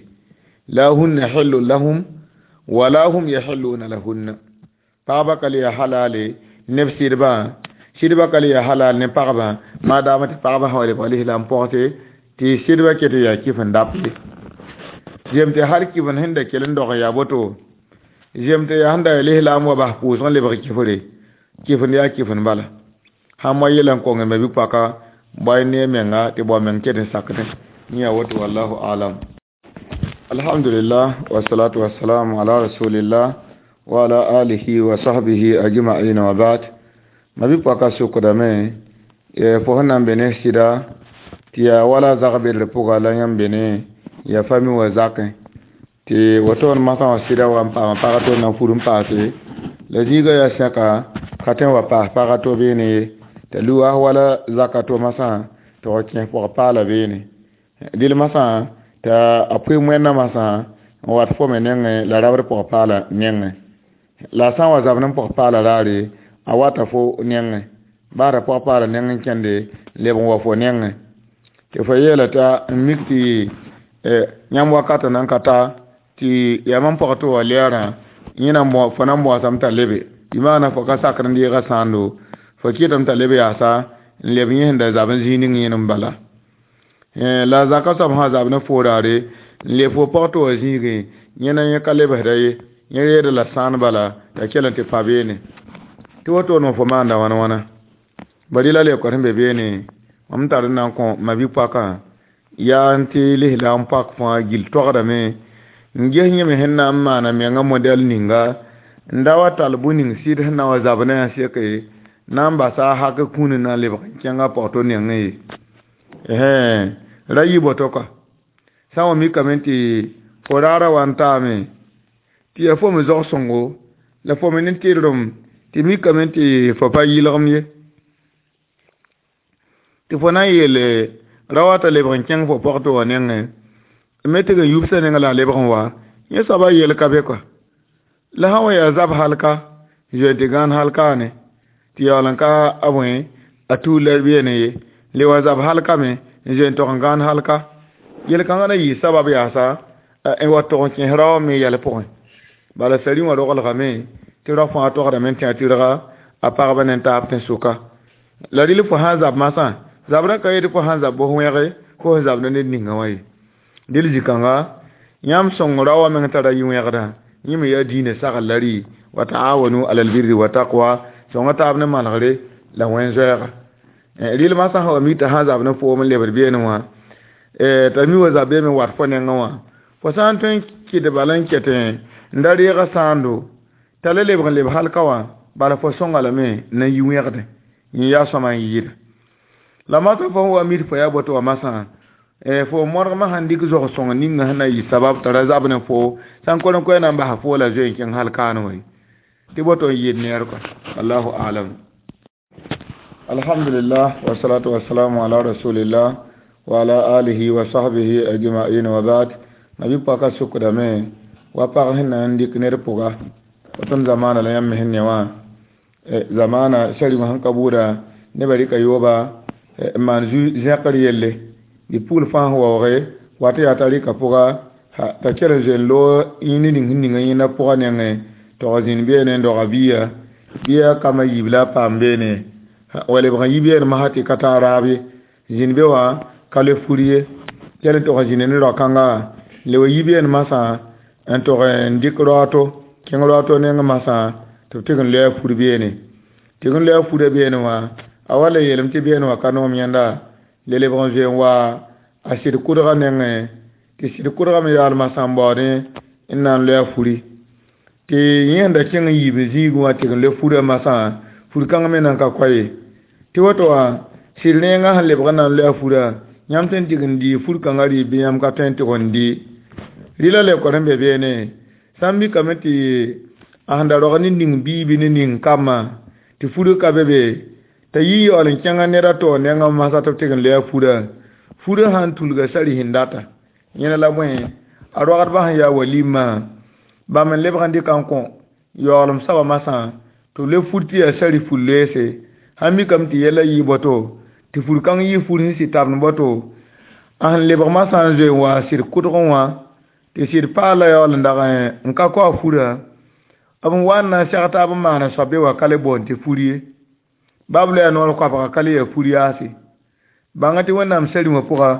la hunna hillu lahum wala hum yahilluna lahunna pagba ka le yaa halale neb sɩdbã sɩdbã ka le yaa halal ne pagba Maadaama tɩ pagba sã wa lebg lislaam pɔgse tɩ sɩdbã ket n yaa kɩf n dap ye. Zem tɩ hal kɩf n sẽn da kell n dog n yaa boto, zem tɩ yaa sẽn da lislaam wa bas pʋʋsg n lebg kɩfre, kɩf n yaa kɩf n bala. Sãn moa yɛl n kong ma bi-poaka bao ne menga tɩ bao meng ket n sakdẽ. Yẽ yaa woto, wallahu alam. Alhamdulillah, wassalatu wassalamu ala rasulillah wa ala alihi wa sahbihi ajma'in wa ba'd. Ma bi-poaka sokdame, fo sẽn na n be ne sɩda tɩ yaa wala zag-bedr pʋga la yãmb be ne ya fami wa zakẽ tɩ woto n masã wã sɩda wa n paama pag to na n fur n paase la zĩigã yaa sẽka ka tõe n wa paas pag to beene ye t'a luaas wala zaka to masã tɩ f kẽes pɔg paala beene dɩl masã t'a a pʋɩ wẽnna masã n wat fo me nengẽ la rabd pɔg paala nengẽ la a sã n wa zabd n pɔg paala raare a wata fo nengẽ baara pɔg paala nengẽ kẽnde leb n wa fo nengẽ tɩ fo yeela t'a n mik tɩ yãmb wakatã nan ka ta tɩ yaa mam pɔg tɩ wa lɛɛrã yẽ fo na n bõosame t'a lebe bɩ maana fo ka sakr n deega sãando fo kɩtame t'a leb yaasa n leb yẽ sẽn da zab n zĩig ning yẽnem n bala. La zaka soab sã zab ne fo raare n leb fo pɔg tɩ wa zĩigẽ yẽ na yẽ ka lebsda ye yẽ reeda la sãan bala t'a kell n tɩ pa beene tɩ woto fo maanda wãna wãna bari la leoka sẽn be beene mam tar n na n kõ ma bi-poakã yaa n tɩ lislaam pak fãa gill togdame n ges yẽme sẽn na n maana menga modɛl ninga n da wa tall bũ-ning sɩd sẽn na wa zab ne a seke na n basa a hak kũuni na n lebg n kẽnga pɔg to nengẽ ye. Ra yɩ boto ka sã n wa mikame tɩ fo raara wa n taame tɩ yaa fo me zog sõngo la fo me ne tɩrlem tɩ mikame tɩ fo pa yɩlgem ye tɩ fo na n yeele ra wa t'a lebg n kẽng fo pɔg tɩ wa nengẽ me tɩ n yubsã neng la a lebg n wa yẽ soaba yel ka be kɔa la sã n wa yaa zab halka zoe tɩ gãan halkaane tɩ yaool n ka a bõe a tuur la beene ye le wa zab halkame n zoe n tog n gãan halka yel-kãngã na yɩ sabab yaasa n wa tog n kẽes rao me yɛl pʋgẽ bala sari wã roglgame tɩ rao fãa togdame n tẽ a tɩrga a pagba ne taab tẽn-sʋka la rɩl fo sã n zab masã zabrã ka yetɩ fo sã n zab bos wẽge fo sẽn zabda ned ninga wã ye dɩl zĩ-kãnga yãmb sõng rao wã meng tara yɩ-wẽgdã yẽ me yaa diinã sagl la rɩ wa taawanu ala albirri wa taqwa sõnga taab ne manegre la wẽn-zoɛɛga rɩl masã sã wa mik t'a sã n zab ne foom n lebd beene wã t'a mi wa zab beeme wat fo nengẽ wã fo sã n tõe n kɩt bala n ket n da reega sãando t'a la lebg n leb halka wã bala fo sõnga lame na n yi wẽgdẽ yẽ yaa sõma n yɩɩda la masã fo sẽn wa mit fo yaa boto wã masã fo modgmã sãn dɩk zog sõng ninga sẽn na yɩ sabab t'a ra zab ne fo sã n kor n koɛɛ na n basa fo la zoe n kẽng hal kaan wã ye tɩ boto n yɩɩd neer kɔa allahu alam. Alhamdulillah, wassalatu wassalamu ala rasulillah wa ala alihi wa sahbihi ajma'in wa ba'd. Nabi paka sukdame wa pag sẽn na n dɩk ned pʋga tõnd zamaana la yãmb me sẽn ne wã zamaana sari wã sẽn ka buuda nebã rɩka yooba n maan zẽkr yelle dɩ pugl fãa sẽn waooge wat yaa t'a rɩka pʋga t'a kell n zoe n loog yĩnd ning sẽn ninga yẽnda pʋga nengẽ tog zĩnd beene n doga biya biya kambã yiib la a paam beene wa lebg n yi beene masã tɩ ka taa raab ye zĩnd be wã ka le fur ye kell n tog n zĩnd ne rao-kãnga le wa yi beene masã n tog n dɩk raooto kẽng raooto neng masã tɩ b tɩg n loe a fur beene tɩg n loe a furã beene wã a wa la yeelame tɩ beene wã ka noom yẽnda le lebg n zoe n wa a sɩd kʋdgã nengẽ tɩ sɩd kʋdgã me yaool masã n baoodẽ n na n loe a furi tɩ yẽ sẽn da kẽng n yiib zĩigẽ wã tɩg n loe furã masã fur kãng me nan ka koa ye tɩ woto wã sɩd rẽengã sẽn lebg n na n loe a furã yãmb tõe n tɩg n dɩ fur kãngã rɩ bɩ yãmb ka tõe n tɩg n dɩ rɩla leoka sẽn be beene sã n mikame tɩ a sẽn da rog ne ning bii bɩ ne ning kambã tɩ fur ka be be t'a yi yaool n kẽngã ned a taoor nengã masã tɩ b tɩg n loe a furã furã sã n tulga sari sẽn data yẽna la bõe a rogdbã sẽn yaa walimã bãmb n lebg n dɩka n kõ yaoolem soabã masã tɩ b le fur tɩ yaa sari fur loeese sãn mikame tɩ yɛla yɩ boto tɩ fur kãng yɩ fur sẽn sɩ tabend boto a sẽn lebg masã n zoe n wa sɩd kʋdgẽ wã tɩ sɩd paala yaool n dag n ka kao a furã b n wa n na n seg taab n maana soab be wa ka le boond tɩ fur ye bab loɛɛ noor koabga ka le yaa fur yaase. Bãnga tɩ Wẽnnaam sar-rĩmã pʋga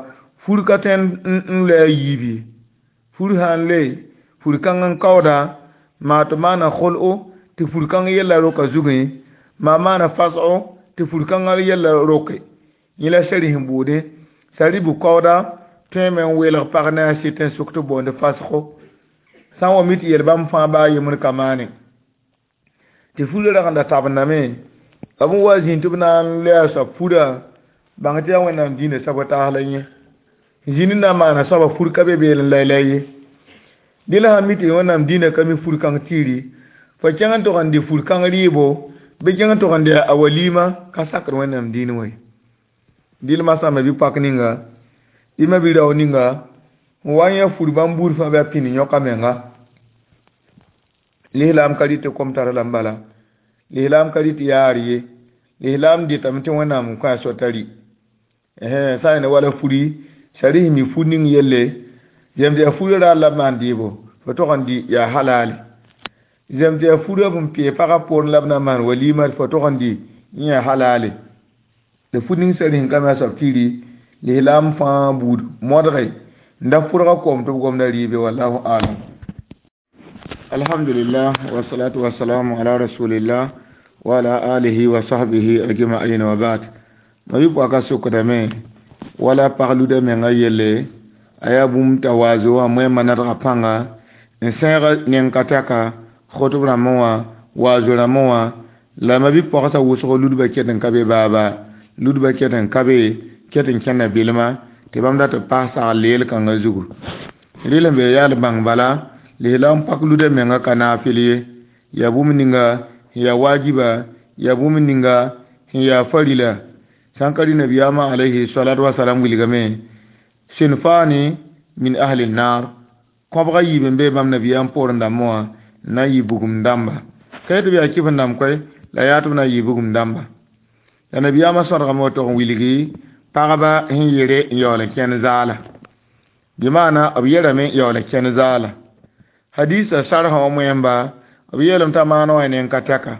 fur ka tõe n loe a yiib ye. Fur sã n loe, fur kãng n kaooda, maa tɩ maana khol-o tɩ fur kãng yella roka zugẽ, maa maana fasgo tɩ fur kãngã yella roke. Yẽ la sari sẽn buudẽ, sari bʋ kaooda tõeme n welg pag ne a sɩt n sʋk tɩ boond fasgo. Sã n wa mi tɩ yel bãmb fãa baa yembr ka maane. Tɩ furã rag n da tabendame, b n wa zĩnd tɩ b na n loe a soab furã, bãng tɩ yaa Wẽnnaam dĩinã sabotaas la yẽ. Zĩnd n na n maana soaba fur ka be beelẽ laylay ye. Dẽ la sã n mi tɩ Wẽnnaam dĩinã ka mi fur kãng tiiri, fo kẽng n tog n dɩ fur kãng rɩɩbo, bɩ kẽng n tog n dɩ a walima ka sakd Wẽnnaam dĩinã wã ye. Dɩl masã ma-bi-pak ninga, bɩ ma-bi-rao ninga, n wa n yã fur bãmb buud fãa bɩ a pĩnd yõka menga. Lislaam ka rɩt tɩ kom tara lame bala, lislaam ka rɩt tɩ yaar ye, lislaam dɩtame tɩ Wẽnnaam n kõ a sor t'a rɩ. Sã n yẽ wala furi, sari sẽn mi fur ning yelle, zem tɩ yaa furã raar la b maan dɩɩbo, fo tog n dɩ yaa halale. Zem tɩ yaa furã b n pee pagã poorẽ la b na n maan walima fo tog n dɩ yẽ yaa halale. La fur ning sari sẽn ka me a soab tɩ rɩ, lislaam fãa buud modge n da fʋrga koom tɩ b gomda rɩɩbe, wallahu alam. Alhamdulillah wa salatu wa salamu ala rasulillah wa ala alihi wa sahbihi ajma'in wa ba'd. Ma bi pɔka sokdame wala pag luda menga yelle a yaa bũmb t'a waazo wã moẽmba nadga pãnga n sẽeg neng ka tɛka khotb rãmbẽ wã waazo rãmbẽ wã la ma bi pɔgsã wʋsg ludbã ket n ka be baaba ludbã ket n ka be ket n kẽnda belma tɩ bãmb dat n paas sagl leel kãngã zugu. Rɩl sẽn be yaal bãng bala lislaam pak luda menga ka naafɩl ye, yaa bũmb ninga sẽn yaa wajiba, yaa bũmb ninga sẽn yaa farila. Sãn ka rɩ nabiyaamã alayhi salatu wasalam wilgame sinfani min ahli nar kõbga yiib n be bãmb nabiyaam poorẽ dãmbẽ wã n na n yɩ bugum dãmba. Ka yetɩ bɩ yaa kɩf n dãmb koɛ, la yaa tɩ b na n yɩ bugum dãmba. La nabiyaamã sõdgame wa tog n wilgi pagba sẽn yere n yaool n kẽnd zaala. Bɩ maana b yerame n yaool n kẽnd zaala. Hadisa sarã wã moẽmba b yeelame t'a maan wã neng ka tɛka.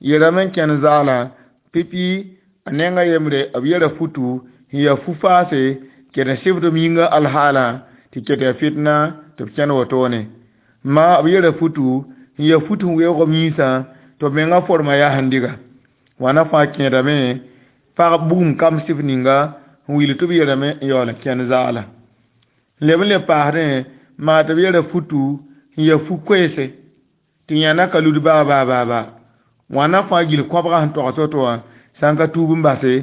Yerame n kẽnd zaala pipi a nenga yembre b yera futu sẽn yaa fu-faase ket n sɩbd b yĩnga alhaala tɩ ket yaa fitna tɩ b kẽnd wotone. Ma b yera futu sẽn yaa fut sẽn weoog b yĩnsã tɩ b menga forma yaa sẽn diga. Wãna fãa kẽedame pag bugum kam sɩf ninga n wil tɩ b yerame n yaool n kẽnd zaala. Leb n le paasdẽ maa tɩ b yera futu sẽn yaa fu-koeese tɩ yãna ka lud baa baa baa baa. Wãna fãa gil kõbga sẽn togs woto wã sã n ka tuub n base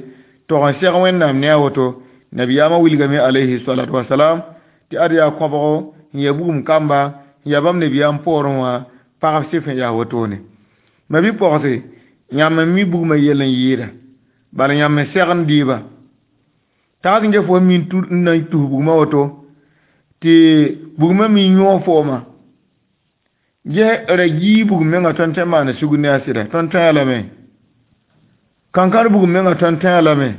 tog n seg Wẽnnaam ne a woto. Nabiyaamã wilgame alayhi salatu wasalam tɩ ad yaa kõbgo sẽn yaa bugum kamba sẽn yaa bãmb nabiyaam poorẽ wã pagb sɩf n yaa wotone. Ma bi pɔgse yãmb n mi bugmã yell n yɩɩda bala yãmb n segend dɩɩba. Tags n get fo min n na n tus bugmã woto tɩ bugmã mi yõog fooma. Ges ra gii bugum menga tõnd tõe n maana sugr ne a sɩda tõnd tõe a lame. Kankãr bugum menga tõnd tõe a lame.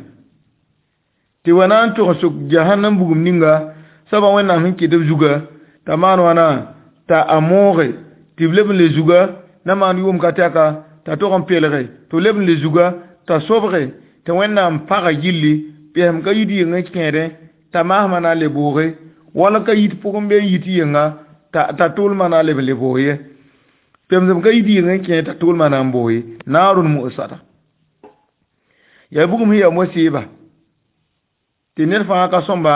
Tɩ wa na n tʋg n sʋk jahannam bugum ninga soabã Wẽnnaam sẽn kɩt b zuga t'a maan wãna t'a a mooge tɩ b leb n le zuga na maan yʋʋm ka tɛka t'a tog n pelge tɩ b leb n le zuga t'a sobge tɩ Wẽnnaam paga gilli pɛsem ka yit yeng n kẽedẽ t'a maasmã na n le booge wala ka yit pʋgẽ bee n yit yenga t'a tʋʋlmã na n leb n le boog ye. Pemsem ka yit yeng n kẽed t'a tʋʋlmã na n boog ye. Naarun mu'sada. Yaa bugum sẽn yaa mosɩɩba tɩ ned fãa ka sõmba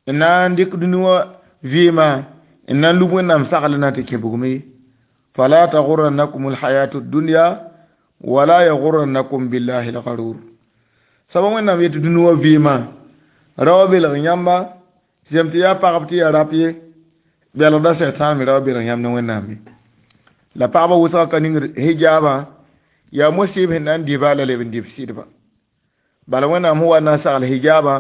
n na n dɩk dũni wã vɩɩmã n na n lub Wẽnnaam sagl na tɩ kẽ bugum ye. Fala taghurrannakum alhayatu dunya wala yaghurrannakum billahi algharur. Soaba Wẽnnaam yetɩ dũni wã vɩɩmã rao belg yãmba zem tɩ yaa pagb tɩ yaa rap ye belgda sɛtãan me rao belg yãmb ne Wẽnnaam ye. La pagba wʋsga ka ningd hijaabã yaa mosɩɩb sẽn na n dɩba la leb n dɩ b sɩdba. Bala Wẽnnaam sẽn wa n na n sagl hijaabã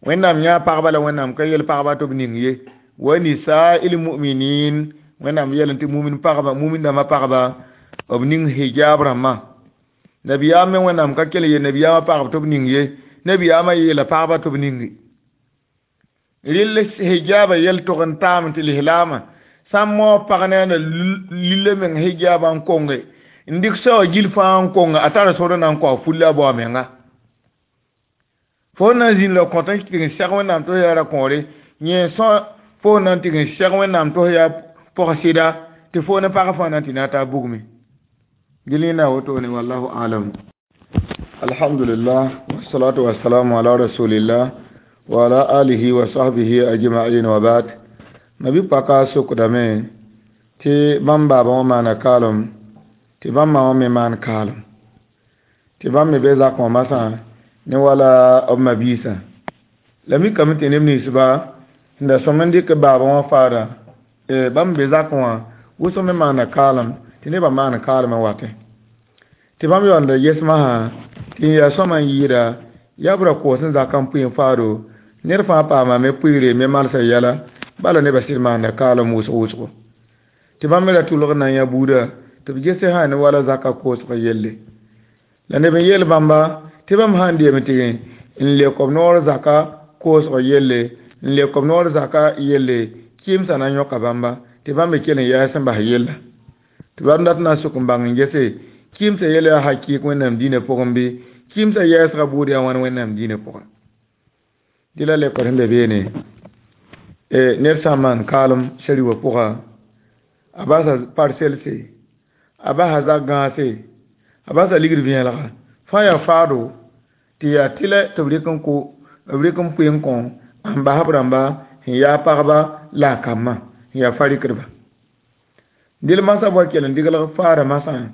Wẽnnaam yãa pagba la Wẽnnaam ka yel pagba tɩ b ning ye. Wa nisa'il mu'minin Wẽnnaam yeelame tɩ mumin pagba mumin dãmbã pagba b ning hijaab rãmbã. Nabiyaam me Wẽnnaam ka kell ye nabiyaamã pagb tɩ b ning ye. Nabiyaamã yeela pagba tɩ b ninge. Rɩl hijaabã yel tog n taam tɩ lislaamã sã n maoog pag ne a na lilla meng hijaabã n konge n dɩk saoowã gil fãa n konge a tara sor n na n kao fulla a bao a menga. Fo na n zĩnd ra kõt n tɩg n sɛg Wẽnnaam tɩ f yaa ra-kõore, yẽ sõ fo na n tɩg n sɛg Wẽnnaam tɩ f yaa pog-sɩda, tɩ fo ne pag fãa na n tɩ na taa bugme. Gil yẽnda a wotone, wallahu alam. Alhamdulillah, wassalatu wassalamu ala rasulillah wa ala alihi wa sahbihi ajma'in wa ba'd. Nabi paka sokdame tɩ bãmb baaba wã maana kaalem, tɩ bãmb ma wã me maan kaalem, tɩ bãmb me be zakẽ wã masã ne wala b ma-biisã. La mikame tɩ neb ninsba sẽn da sõm n dɩk baaba wã faada, bãmb be zakẽ wã wʋsg me maana kaalem, tɩ nebã maan kaalem n watẽ. Tɩ bãmb yaoolda ges masã tɩ n yaa sõma n yɩɩda yaa b ra koos n zaka n pʋɩ n faado, ned fãa paamame pʋɩɩre me malsã yɛla, bala nebã sɩd maanda kaalem wʋsg wʋsgo. Tɩ bãmb me ra tʋlg n na n yã buuda tɩ b gese sã ne wala zaka koosg yelle. La neb n yeel bãmba tɩ bãmb sã n deem tɩ n lek b noor zaka koosg yelle, n lek b noor zaka yelle, kɩɩmsã na n yõka bãmba, tɩ bãmb me kell n yaas n bas yella. Tɩ bãmb dat na n sok n bãng n gese kɩɩmsã yelle yaa hakɩɩk Wẽnnaam dĩinã pʋgẽ bɩ, kɩɩmsã yɛɛsgã buud yaa wãn Wẽnnaam dĩinã pʋgẽ. Dɩ la lekr sẽn be beene, ned sã n maan kaalem sari wã pʋga, a basa parselse, a basa zak gãase, a basa ligd vẽelga, fãa yaa faado, tɩ yaa tɩlɛ tɩ b rɩk n kʋ, b rɩk n pʋɩ n kõ n bas b rãmba sẽn yaa pagba la a kambã sẽn yaa farikdba. Dɩl masã wa kell n diglg faada masã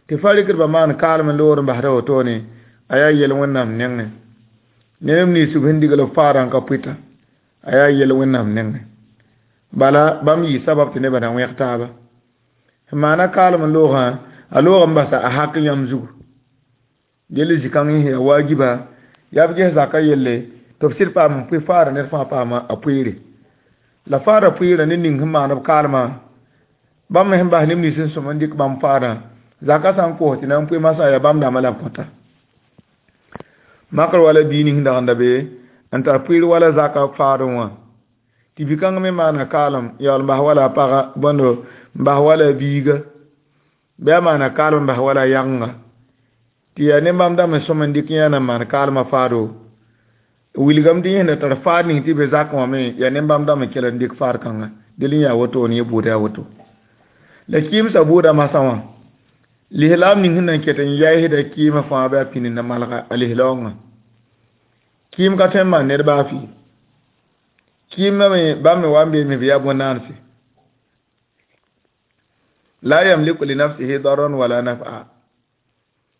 tɩ farikdbã maan kaalem n loor n basda wotone, a yaa yel Wẽnnaam nengẽ. Neb nins b sẽn digl faadã n ka pʋɩta, a yaa yel Wẽnnaam nengẽ. Bala bãmb yɩ sabab tɩ nebã na wẽg taaba. Sẽn maana kaalem n loogã, a loog n basa a hak yãmb zugu. Yell zĩ-kãng yẽ yaa waajiba, yaa b ges zaka yelle tɩ b sɩd paam n pʋɩ faada ned fãa paama a pʋɩɩre. La faada pʋɩɩrã ne ning sẽn maan b kaalmã, bãmb me sẽn bas neb nins sẽn sõm n dɩk bãmb faadã, zaka sã n koos tɩ na n pʋɩ masã yaa bãmb dãmbã la b kõta. Makr wala bii ning dag n da be n tar pʋɩɩr wala zaka faadẽ wã, tɩ bi-kãng me maana kaalem yaool n bas wala a paga bõndo n bas wala a biiga, bɩ a maana kaalem n bas wala a yagenga, tɩ yaa ne bãmb dãmb n sõm n dɩk yã na n maan kaalmã faado. Wilgame tɩ yẽ sẽn da tar faad ning tɩ be zakẽ wã me yaa ne bãmb dãmb n kell n dɩk faad kãnga. Del n yaa wotone, yẽ buuda yaa woto. La kɩɩmsã buudã masã wã, lislaam ning sẽn na n ket n yaɩsda kɩɩmã fãa bɩ a pĩnd na malga a lislaoongã. Kɩɩm ka tõe n maan ned baa fɩ. Kɩɩmã me bãmb me wa n beeme bɩ yaa bõn-naanse. La yamliku li nafsihi darran wala naf'a.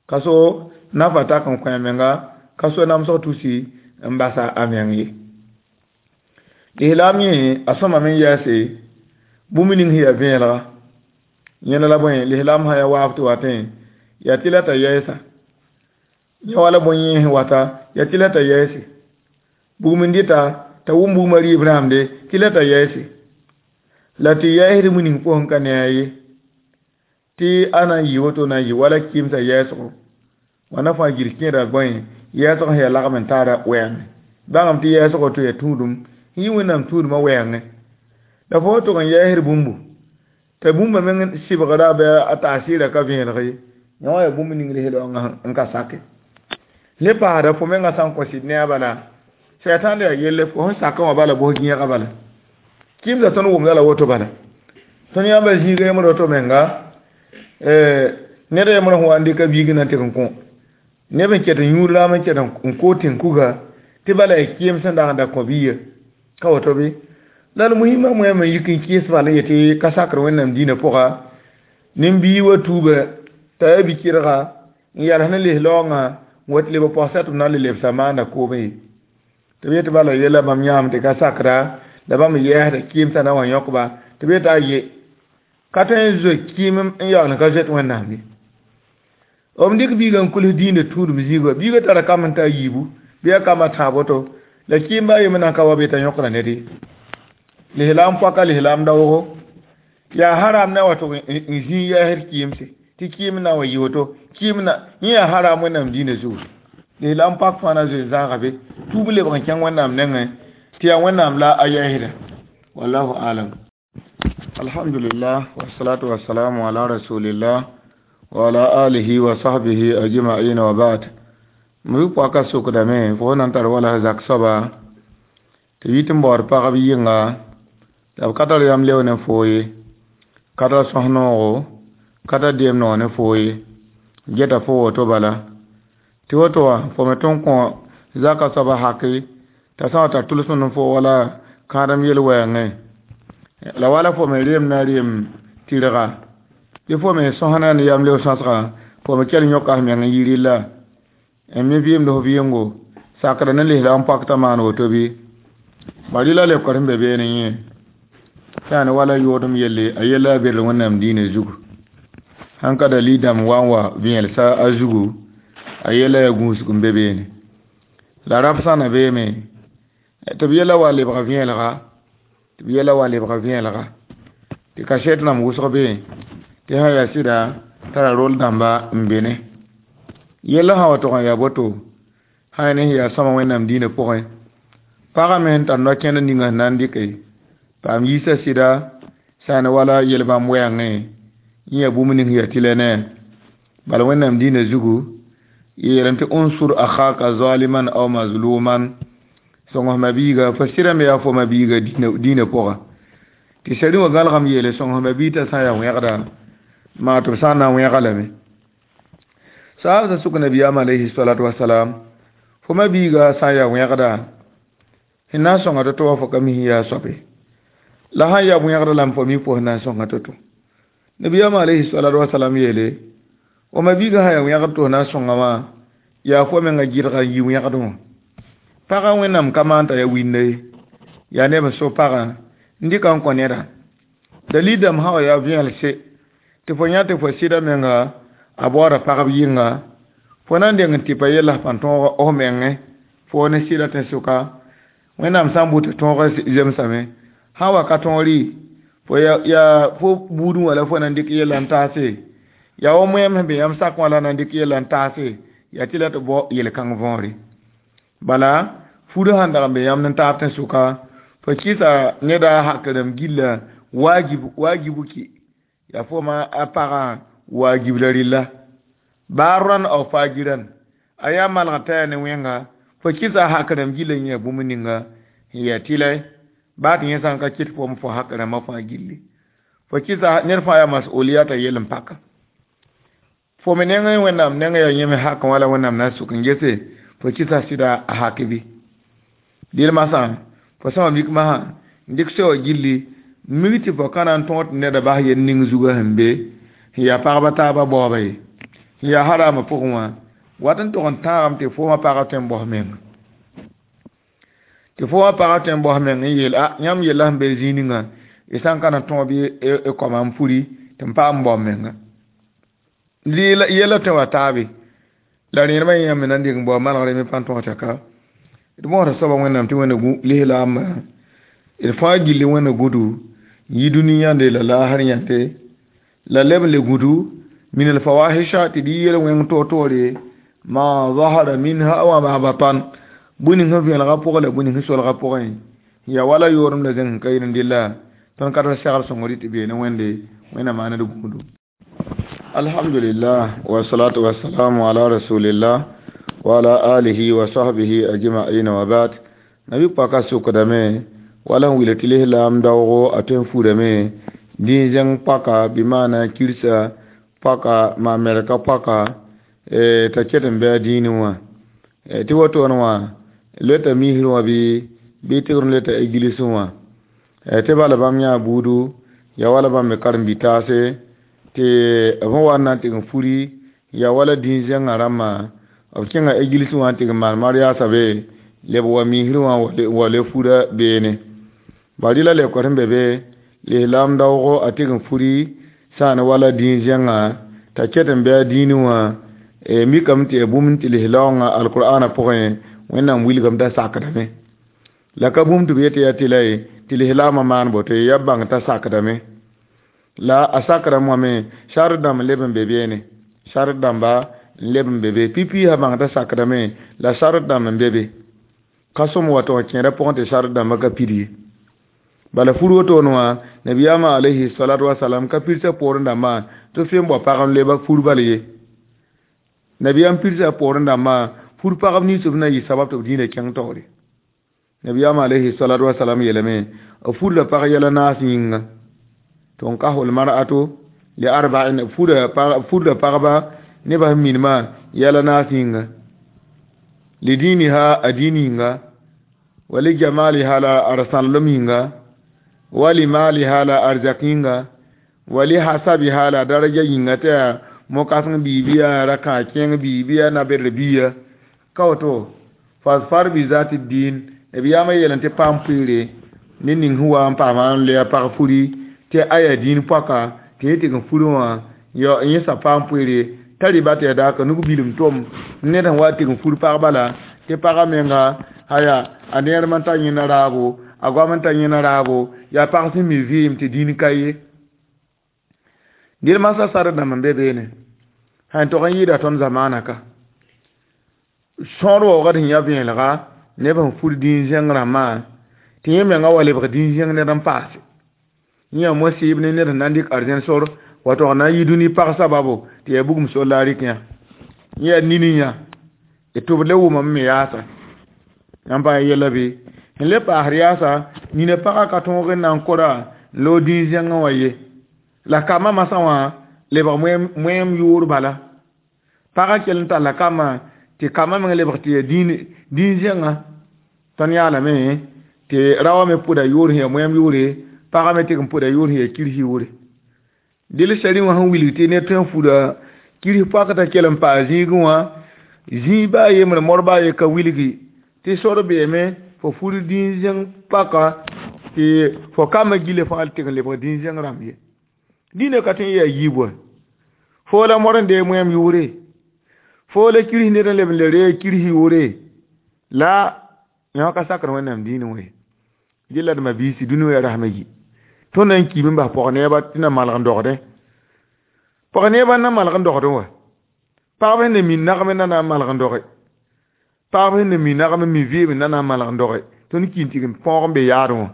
Ka so nafa tak n kõ a menga, ka so namsg tusi n basa a meng ye. Lislaam yẽ a sõmame n yaase bũmb ning sẽn yaa vẽelga. Yẽna la bõe, lislaam sã yaa waaf tɩ watẽ, yaa tɩ la t'a yɛɛsa. Yẽ wala bõe yẽ sẽn wata, yaa tɩ la t'a yɛɛse. Bugum n dɩta t'a wʋm bugmã rɩɩb rãamde, tɩ la t'a yɛɛse. La tɩ yɛɛsd bũmb ning pʋgẽ ka ne a ye. Tɩ a na n yɩ woto na n yɩ wala kɩɩmsã yɛɛsgo. Wãnna fãa gil kẽeda bõe, yɛɛsg sẽn yaa lagm n taara wɛɛngẽ. Bãngame tɩ yɛɛsgo tɩ yaa tũudum, n yɩ Wẽnnaam tũudmã wɛɛngẽ. La fo tʋg n yɛɛsd bũmbu, t'a bũmba meng sɩbgra bɩ a taasɩɩrã ka vẽelg ye. Yẽ wã yaa bũmb ning lislaoongã n ka sake. Le paasda fo mengã sã n kõ sɩd ne a bala, sɛtãan yaa yelle fo sẽn sakã wã bala bos gẽega bala. Kɩɩmsã tõnd wʋmda la woto bala. Tõnd yãmba zĩiga yembr woto menga, ned yembr sẽn wa n dɩka biig na n tɩg n kõ. Neb n ket n yũud raam n ket n kood tẽn-kuga, tɩ bala yaa kɩɩm sẽn dag n da kõ biiga. Ka woto bɩ? La d muhimã moɛɛm n yik n kɩɩs bal n yetɩ ka sakr Wẽnnaam dĩinã pʋga, nin-bii wa tuuba t'a yaa bi-kɩrga n yals ne lislaoongã n wa tɩ leb pɔgsa tɩ b na n le lebsa maanda koomẽ ye. Tɩ b yetɩ bala yella bãmb yãam tɩ ka sakra, la bãmb yɛɛsda kɩɩmsã na wa yõkba, tɩ b yetɩ a ye ka tõe n zoe kɩɩm n yaool n ka zoet Wẽnnaam ye. B dɩk biigã n kuls dĩinã tũudum zĩigã, biigã tara kam n ta a yiibu bɩ a kambã tãab woto, la kɩɩmba a yembr na n ka wa be t'a yõkra ned ye. Lislaam poaka lislaam daoogo yaa haram na wa tʋg n zĩig yɛɛsd kɩɩmse, tɩ kɩɩm na wa yɩ woto, kɩɩm na yẽ yaa haram Wẽnnaam dĩinã zugu. Lislaam pak fãa na zoe n zãaga be, tuub lebg n kẽng Wẽnnaam nengẽ, tɩ yaa Wẽnnaam la a yɛɛsda. Wallahu alam. Alhamdulillah, wassalatu wassalamu ala rasulillah wa ala alihi wa sahbihi ajma'in wa ba'd. Mi pɔka sokdame fo na n tar wala zak soaba tɩ yit n baood pagb yɩnga la b ka tar yam leo ne foo ye, ka tar sõs noogo, ka tar deem noog ne foo ye, geta fo woto bala. Tɩ woto wã fo me tõe n kõ zaka soaba haki t'a sã n wa tar tʋlsem ne fo wala kãadem yel-wɛɛngẽ. La wala fo me reem na reem tɩrga bɩ fo me sõsna ne yam leo sõsgã, fo me kell yõka f meng n yi rɩlla n mi vɩɩmd f vɩɩngo sakda ne lislaam pak t'a maan woto bɩ. Bari la leokr sẽn be beene yẽ yaa ne wala yoodem yelle, a yella a berl Wẽnnaam diinã zugu. Sãn ka dalil dãmb wa n wa vẽelsa a zugu, a yella yaa gũusg n be beene. La rap sã na beeme tɩ b yella wa lebga vẽelga, tɩ b yella wa lebga vẽelga, tɩ kasɛt rãmb wʋsg be tɩ sã yaa sɩda tara rol dãmba n be ne. Yella sã wa tog n yaa boto, sã yaa ne sẽn yaa sõma Wẽnnaam diinã pʋgẽ, pagã me sẽn tar no-kẽnd ninga sẽn na n dɩke paam yiisa sɩda sã ne wala yel-bãmb wɛɛngẽ, yẽ yaa bũmb ning yaa tɩlɛ ne. Bala Wẽnnaam diinã zugu yeelame tɩ unsur akhaka zaliman aw mazluman, sõng f mabiiga fo sɩda me yaa fo mabiiga diinã pʋga. Tɩ sari wã gãlgame yeele sõng f mabiig t'a sã n yaa wẽgda, maa tɩ b sã n na n wẽga lame. Saabsã sʋk nabiyaam alayhi salatu wasalam, fo mabiiga sã n yaa wẽgda, sẽn na n sõnga to-to wã fo ka mi sẽn yaa soabe. La sã n yaa wẽgda lame fo mi fo sẽn na n sõnga to-to. Nabiyaam alayhi salatu wasalam yeele, fo mabiiga sã n yaa wẽgd tɩ fo na n sõnga wã, yaa fo menga gɩdga n yi wẽgd wã. Pagã Wẽnnaam ka maan t'a yaa winda ye, yaa neb n so pagã n dɩka n kõ neda. Dalil dãmb sã wa yaa vẽelse tɩ fo yã tɩ fo sɩda menga a baooda pagb yɩnga, fo na n deng n tɩpa yella f pãn tõog f mengẽ, fo ne sɩda tẽn-sʋka. Wẽnnaam sã n bʋ tɩ tõog zemsame, sã n wa ka tõog rɩ, fo yaa fo buudẽ wã la fo na n dɩk yella n taase, yaa wa moɛɛm sẽn be yãmb sak wã la na n dɩk yella n taase, yaa tɩ la tɩ bao yel-kãng võore. Bala fudã sãn dag n be yãmb n taab tẽn-sʋka, fo kɩsa neda hakrem gilla wajibu ki, yaa fo ma a pagã wajib la rɩlla. Baa rãn aw fajiran, a yaa malg t'a yaa ne wẽnga, fo kɩsa hakrem gilla yẽ yaa bũmb ninga sẽn yaa tɩlɛ, baa tɩ yẽ sã n ka kɩt fo fo hak rãmbã fãa gilli. Fo kɩsa ned fãa yaa mas'ooliyata yell n paka. Fo me nengẽ Wẽnnaam nengẽ yaa yẽ me hakẽ wã la Wẽnnaam na n sʋk n gese, fo kɩsa sɩda a hak bɩ. Dɩl masã, fo sã wa mik masã n dɩk soa gilli, mik tɩ fo ka na n tõog tɩ neda bas yel ning zugã sẽn be, sẽn yaa pagba taabã baoobã ye, sẽn yaa haraamã pʋgẽ wã, wat n tog n tãagame tɩ fo wã pagã tõe n baos menga. Tɩ fo wã pagã tõe n baos meng n yeel, a yãmb yella sẽn be zĩig ninga, y sã n ka na tõog bɩ y kõma n puri tɩ m paam n bao menga. Yella tõe wa taabe, la rẽedmã yẽ yãmb me na n dɩk n bao malgre me pãn tõog tɛka. D mõsda soabã Wẽnnaam tɩ Wẽnna lislaambã, d fãa gilli Wẽnna gũdu, yi dũni yãnde la laasr yãnde, la leb n le gũdu min alfawahisha tɩ dɩ yel-wẽng toor-toore, ma zahara minha wa ma batan, bũmb ning sẽn vẽelgã pʋgẽ la bũmb ning sẽn solgã pʋgẽ, yaa wala yoorem la zẽng sẽn ka yɩl n dɩlla, tõnd ka tar segr sõngr tɩ beene Wẽnde, Wẽnnaam maana d gũudu. Alhamdulillah wa salatu wa salamu ala rasulillah wa ala alihi wa sahbihi ajma'in wa ba'd. Nabi paka sukdame wala n wila tɩ lislaam daoogo a tõe n furame dĩig zẽng paka bɩ maana kirsa paka maa mɛrka paka t'a ket n bɩ a dĩinẽ wã. Tɩ wotone wã leta misrẽ wã bɩ tɩgr n leta eglisẽ wã. Tɩ bala bãmb yãa buudu, yaa wala bãmb me karen-bi-taase, tɩ b sẽn wa n na n tɩg n furi, yaa wala dĩig zẽngã rãmbã, b kẽnga eglisẽ wã n tɩg n maan mariasa be, leb wa misrẽ wã wa le fura beene. Bari la leokr sẽn be be, lislaam daoogo a tɩg n furi sã n wala dĩig zẽngã t'a ket n bɩ a dĩinẽ wã, mikame tɩ yaa bũmb tɩ lislaoongã alkur'aanã pʋgẽ Wẽnnaam wilgame t'a sakdame. La ka bũmb tɩ b yet yaa tɩ la ye tɩ lislaamã maan boto ye, yaa bãng t'a sakdame. La a sakrame wã me sart dãmb n leb n be beene, sart dãmba n leb n be be, pipi sã bãng t'a sakdame, la sart dãmb n be be. Ka sõm wa tɩ kẽeda pʋgẽ tɩ sart dãmbã ka pid ye. Bala fur wotone wã nabiyaamã alayhi salatu wasalam ka pidsã poorẽ dãmbã tɩ f n bao pag n leba fur bal ye. Nabiyaam pidsã poorẽ dãmbã Fur pagb nins b na yɩ sabab tɩ b dĩinã kẽng taoore. Nabiyaam alayhi salatu wasalam yeelame b furda pag yɛl naas yĩnga. Tunkahul mar'atu li arba'in furda pagba nebã sẽn minimã yɛl naas yĩnga. Li diniha a dĩin yĩnga, wa li jamaliha la a sãnlem yĩnga, wa li maliha la arzak yĩnga, wa li hasabiha la daraja yĩnga tɩ yaa mo-kãseng biibi yaa ra-kãag kẽeng biibi yaa na-bɛdr biiya. Ka woto fasfar bi zati din nabiyaamã yeelame tɩ paam pʋɩɩre ned ning sẽn wa n paama n loe a pag furi tɩ a yaa dĩin poaka tɩ yẽ tɩg n furẽ wã yẽ sa paam pʋɩɩre t'a rɩba tɩ yaa daaka nug bilim tom ned sẽn wa tɩg n fur pag bala tɩ pagã menga aya a neerem n tar yẽnda raabo a goam n tar yẽnda raabo yaa pag sẽn mi vɩɩm tɩ dĩin ka ye. Dɩl masã sar dãmb n be beene sãn tog n yɩɩda tõnd zamaana ka sõor waoogd sẽn yã vẽelega neb sẽn fur dĩin zẽng rãmbã tɩ yẽ menga wa lebg dĩin zẽng ned n paase. Yẽ yaa mo-sɩɩb ne ned sẽn na n dɩk arzẽn sor wa tog na n yi dũni pag sababu tɩ yaa bugum sor la a rɩk yã. Yẽ yaa nini yã tɩ b le wʋmame me yaasa. Yãmb pa yɛla bɩ sẽn le paasd yaasa nina pagã ka tõog n na n kora n loog dĩin zẽngẽ wã ye. La kambã masã wã lebg moẽem yʋʋr bala. Pagã kell n talla kambã tɩ kambã meng lebg tɩ yaa dĩin zẽngã. Tõnd yaalame tɩ raoã me pʋda yʋʋr sẽn yaa moẽem yʋʋre, pagã me tɩg n pʋda yʋʋr sẽn yaa kirsi yʋʋre. Dɩl sari wã sẽn wilg tɩ ned tõe n fuda kirsi poak t'a kell n paa zĩigẽ wã zĩig baa yembre mor baa ye ka wilgi tɩ sor beeme fo fur dĩin zẽng paka tɩ fo kambã gila fãa tɩg n lebg dĩin zẽng rãmb ye. Dĩinã ka tõe n yaa yiib wa. Foo la mor n dee moẽem yʋʋre, foo la kirsi ned n leb n le ree kirsi yʋʋre la yã ka sakr Wẽnnaam dĩinẽ wã ye. Dɩ la d mabiisi dũni wã yaa rasmã yi. Tõnd na n kiime n bas pɔg-neebã tɩ na malg n dogdẽ. Pɔg-neebã n na malg n dogdẽ wã. Pagb sẽn na mi nagm na na n malg n doge. Pagb sẽn na mi nagm n mi vɩɩm na na n malg n doge. Tõnd ki n tɩg n põog n be yaadẽ wã.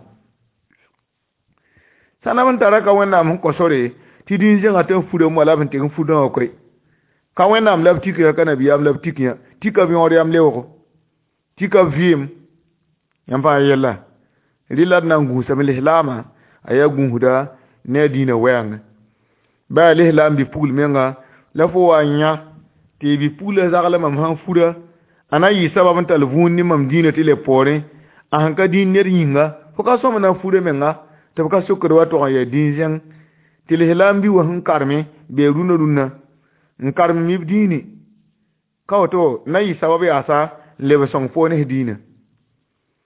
Sãn b n tara ka Wẽnnaam sẽn kõ sore tɩ dĩin zẽngã tɩ n fura moa la b sẽn tɩg n fudã wã koe. Ka Wẽnnaam la b tik yã ka nabiyaam la b tik yã. Tika b yõod yam leoogo. Tika b vɩɩm. Yãmb pa yɛlla. Rɩla d na n gũusame lislaamã a yaa gũusda ne a dĩinã wɛɛngẽ. Baa lislaam bi-pugl menga la fo wa n yã tɩ bi-puglã zagl mam sãn fura a na n yɩ sabab n tall vũun ne mam dĩinã tɩ leb poorẽ a sẽn ka dĩin ned yĩnga fo ka sõm na n fura menga tɩ b ka sokd wa tog n yaa dĩin zẽng tɩ lislaam bi wã sẽn karme bee rũnã rũnã n karem mib dĩini ka woto na yɩ sabab yaasa n leb sõng fo ne f dĩinã.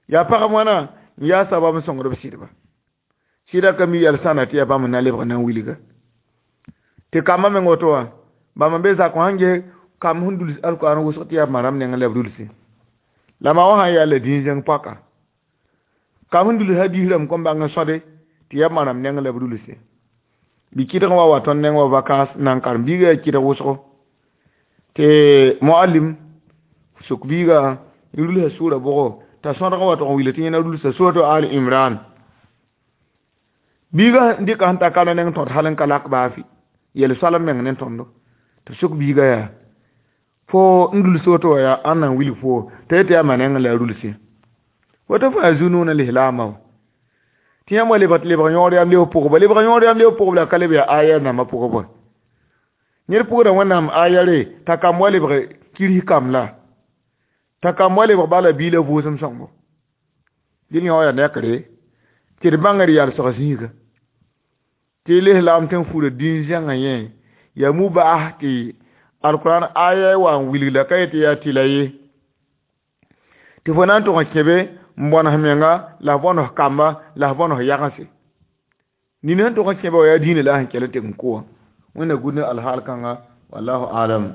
Yaa pagb wãna n yaa sabab n sõngd b sɩdba. Sɩda ka mi yɛl sãna tɩ yaa bãmb n na lebg na n wilga. Tɩ kambã meng woto wã bãmb n be zakẽ sãn ges kamb sẽn duls alkoan wʋsg tɩ yaa maram nengẽ la b dulse. La ma wã sãn yaa la dĩin zẽng poaka. Kamb sẽn duls hadiis rãmb kõn bãng n sõde tɩ yaa maram nengẽ la b dulse. Bɩ kɩdg wa wa tõnd neng wa vacance nan karem biiga yaa kɩdg wʋsgo. Tɩ muallim suk biiga n rulsa sʋʋra bʋgo t'a sõdg wa tʋg n wilg tɩ yẽna rulsa suratu al imran. Biiga n dɩka sẽn ta ka neng tõd hal n ka lak baa fɩ yel soalem meng ne tõndo tɩ suk biiga yaa fo n duls woto wã yaa ãn na n wilg fo t'a yetɩ yaa ma nengẽ la a rulse. Woto fo yaa zu-noog ne lislaamã wa. Tɩ yãmb wa lebg tɩ lebg yõod yam leoog pʋgba lebg yõod yam leoog pʋgb la ka leb yaa aya rãmbã pʋgb wa. Ned pʋgda Wẽnnaam ayare t'a kamb wa lebg kirsi kamb la t'a kamb wa lebg bala bii la vʋʋsem sõngo. Dɩl yõ yaa nekre tɩ d bãngr yalsg zĩiga. Tɩ lislaam tɩ n fura dĩin zẽngã yẽ yaa mubaas tɩ alquran aya wa n wilg la ka yetɩ yaa tɩla ye. Tɩ fo na n tʋg n kẽbe n bõnes menga la f bõnes kamba la f bõnes yagense. Nina sẽn tʋg n kẽbe wã yaa dĩinã la a sẽn kell n tɩg n kʋ wã. Wẽnna gũud ne alhaal kãnga wallahu alam.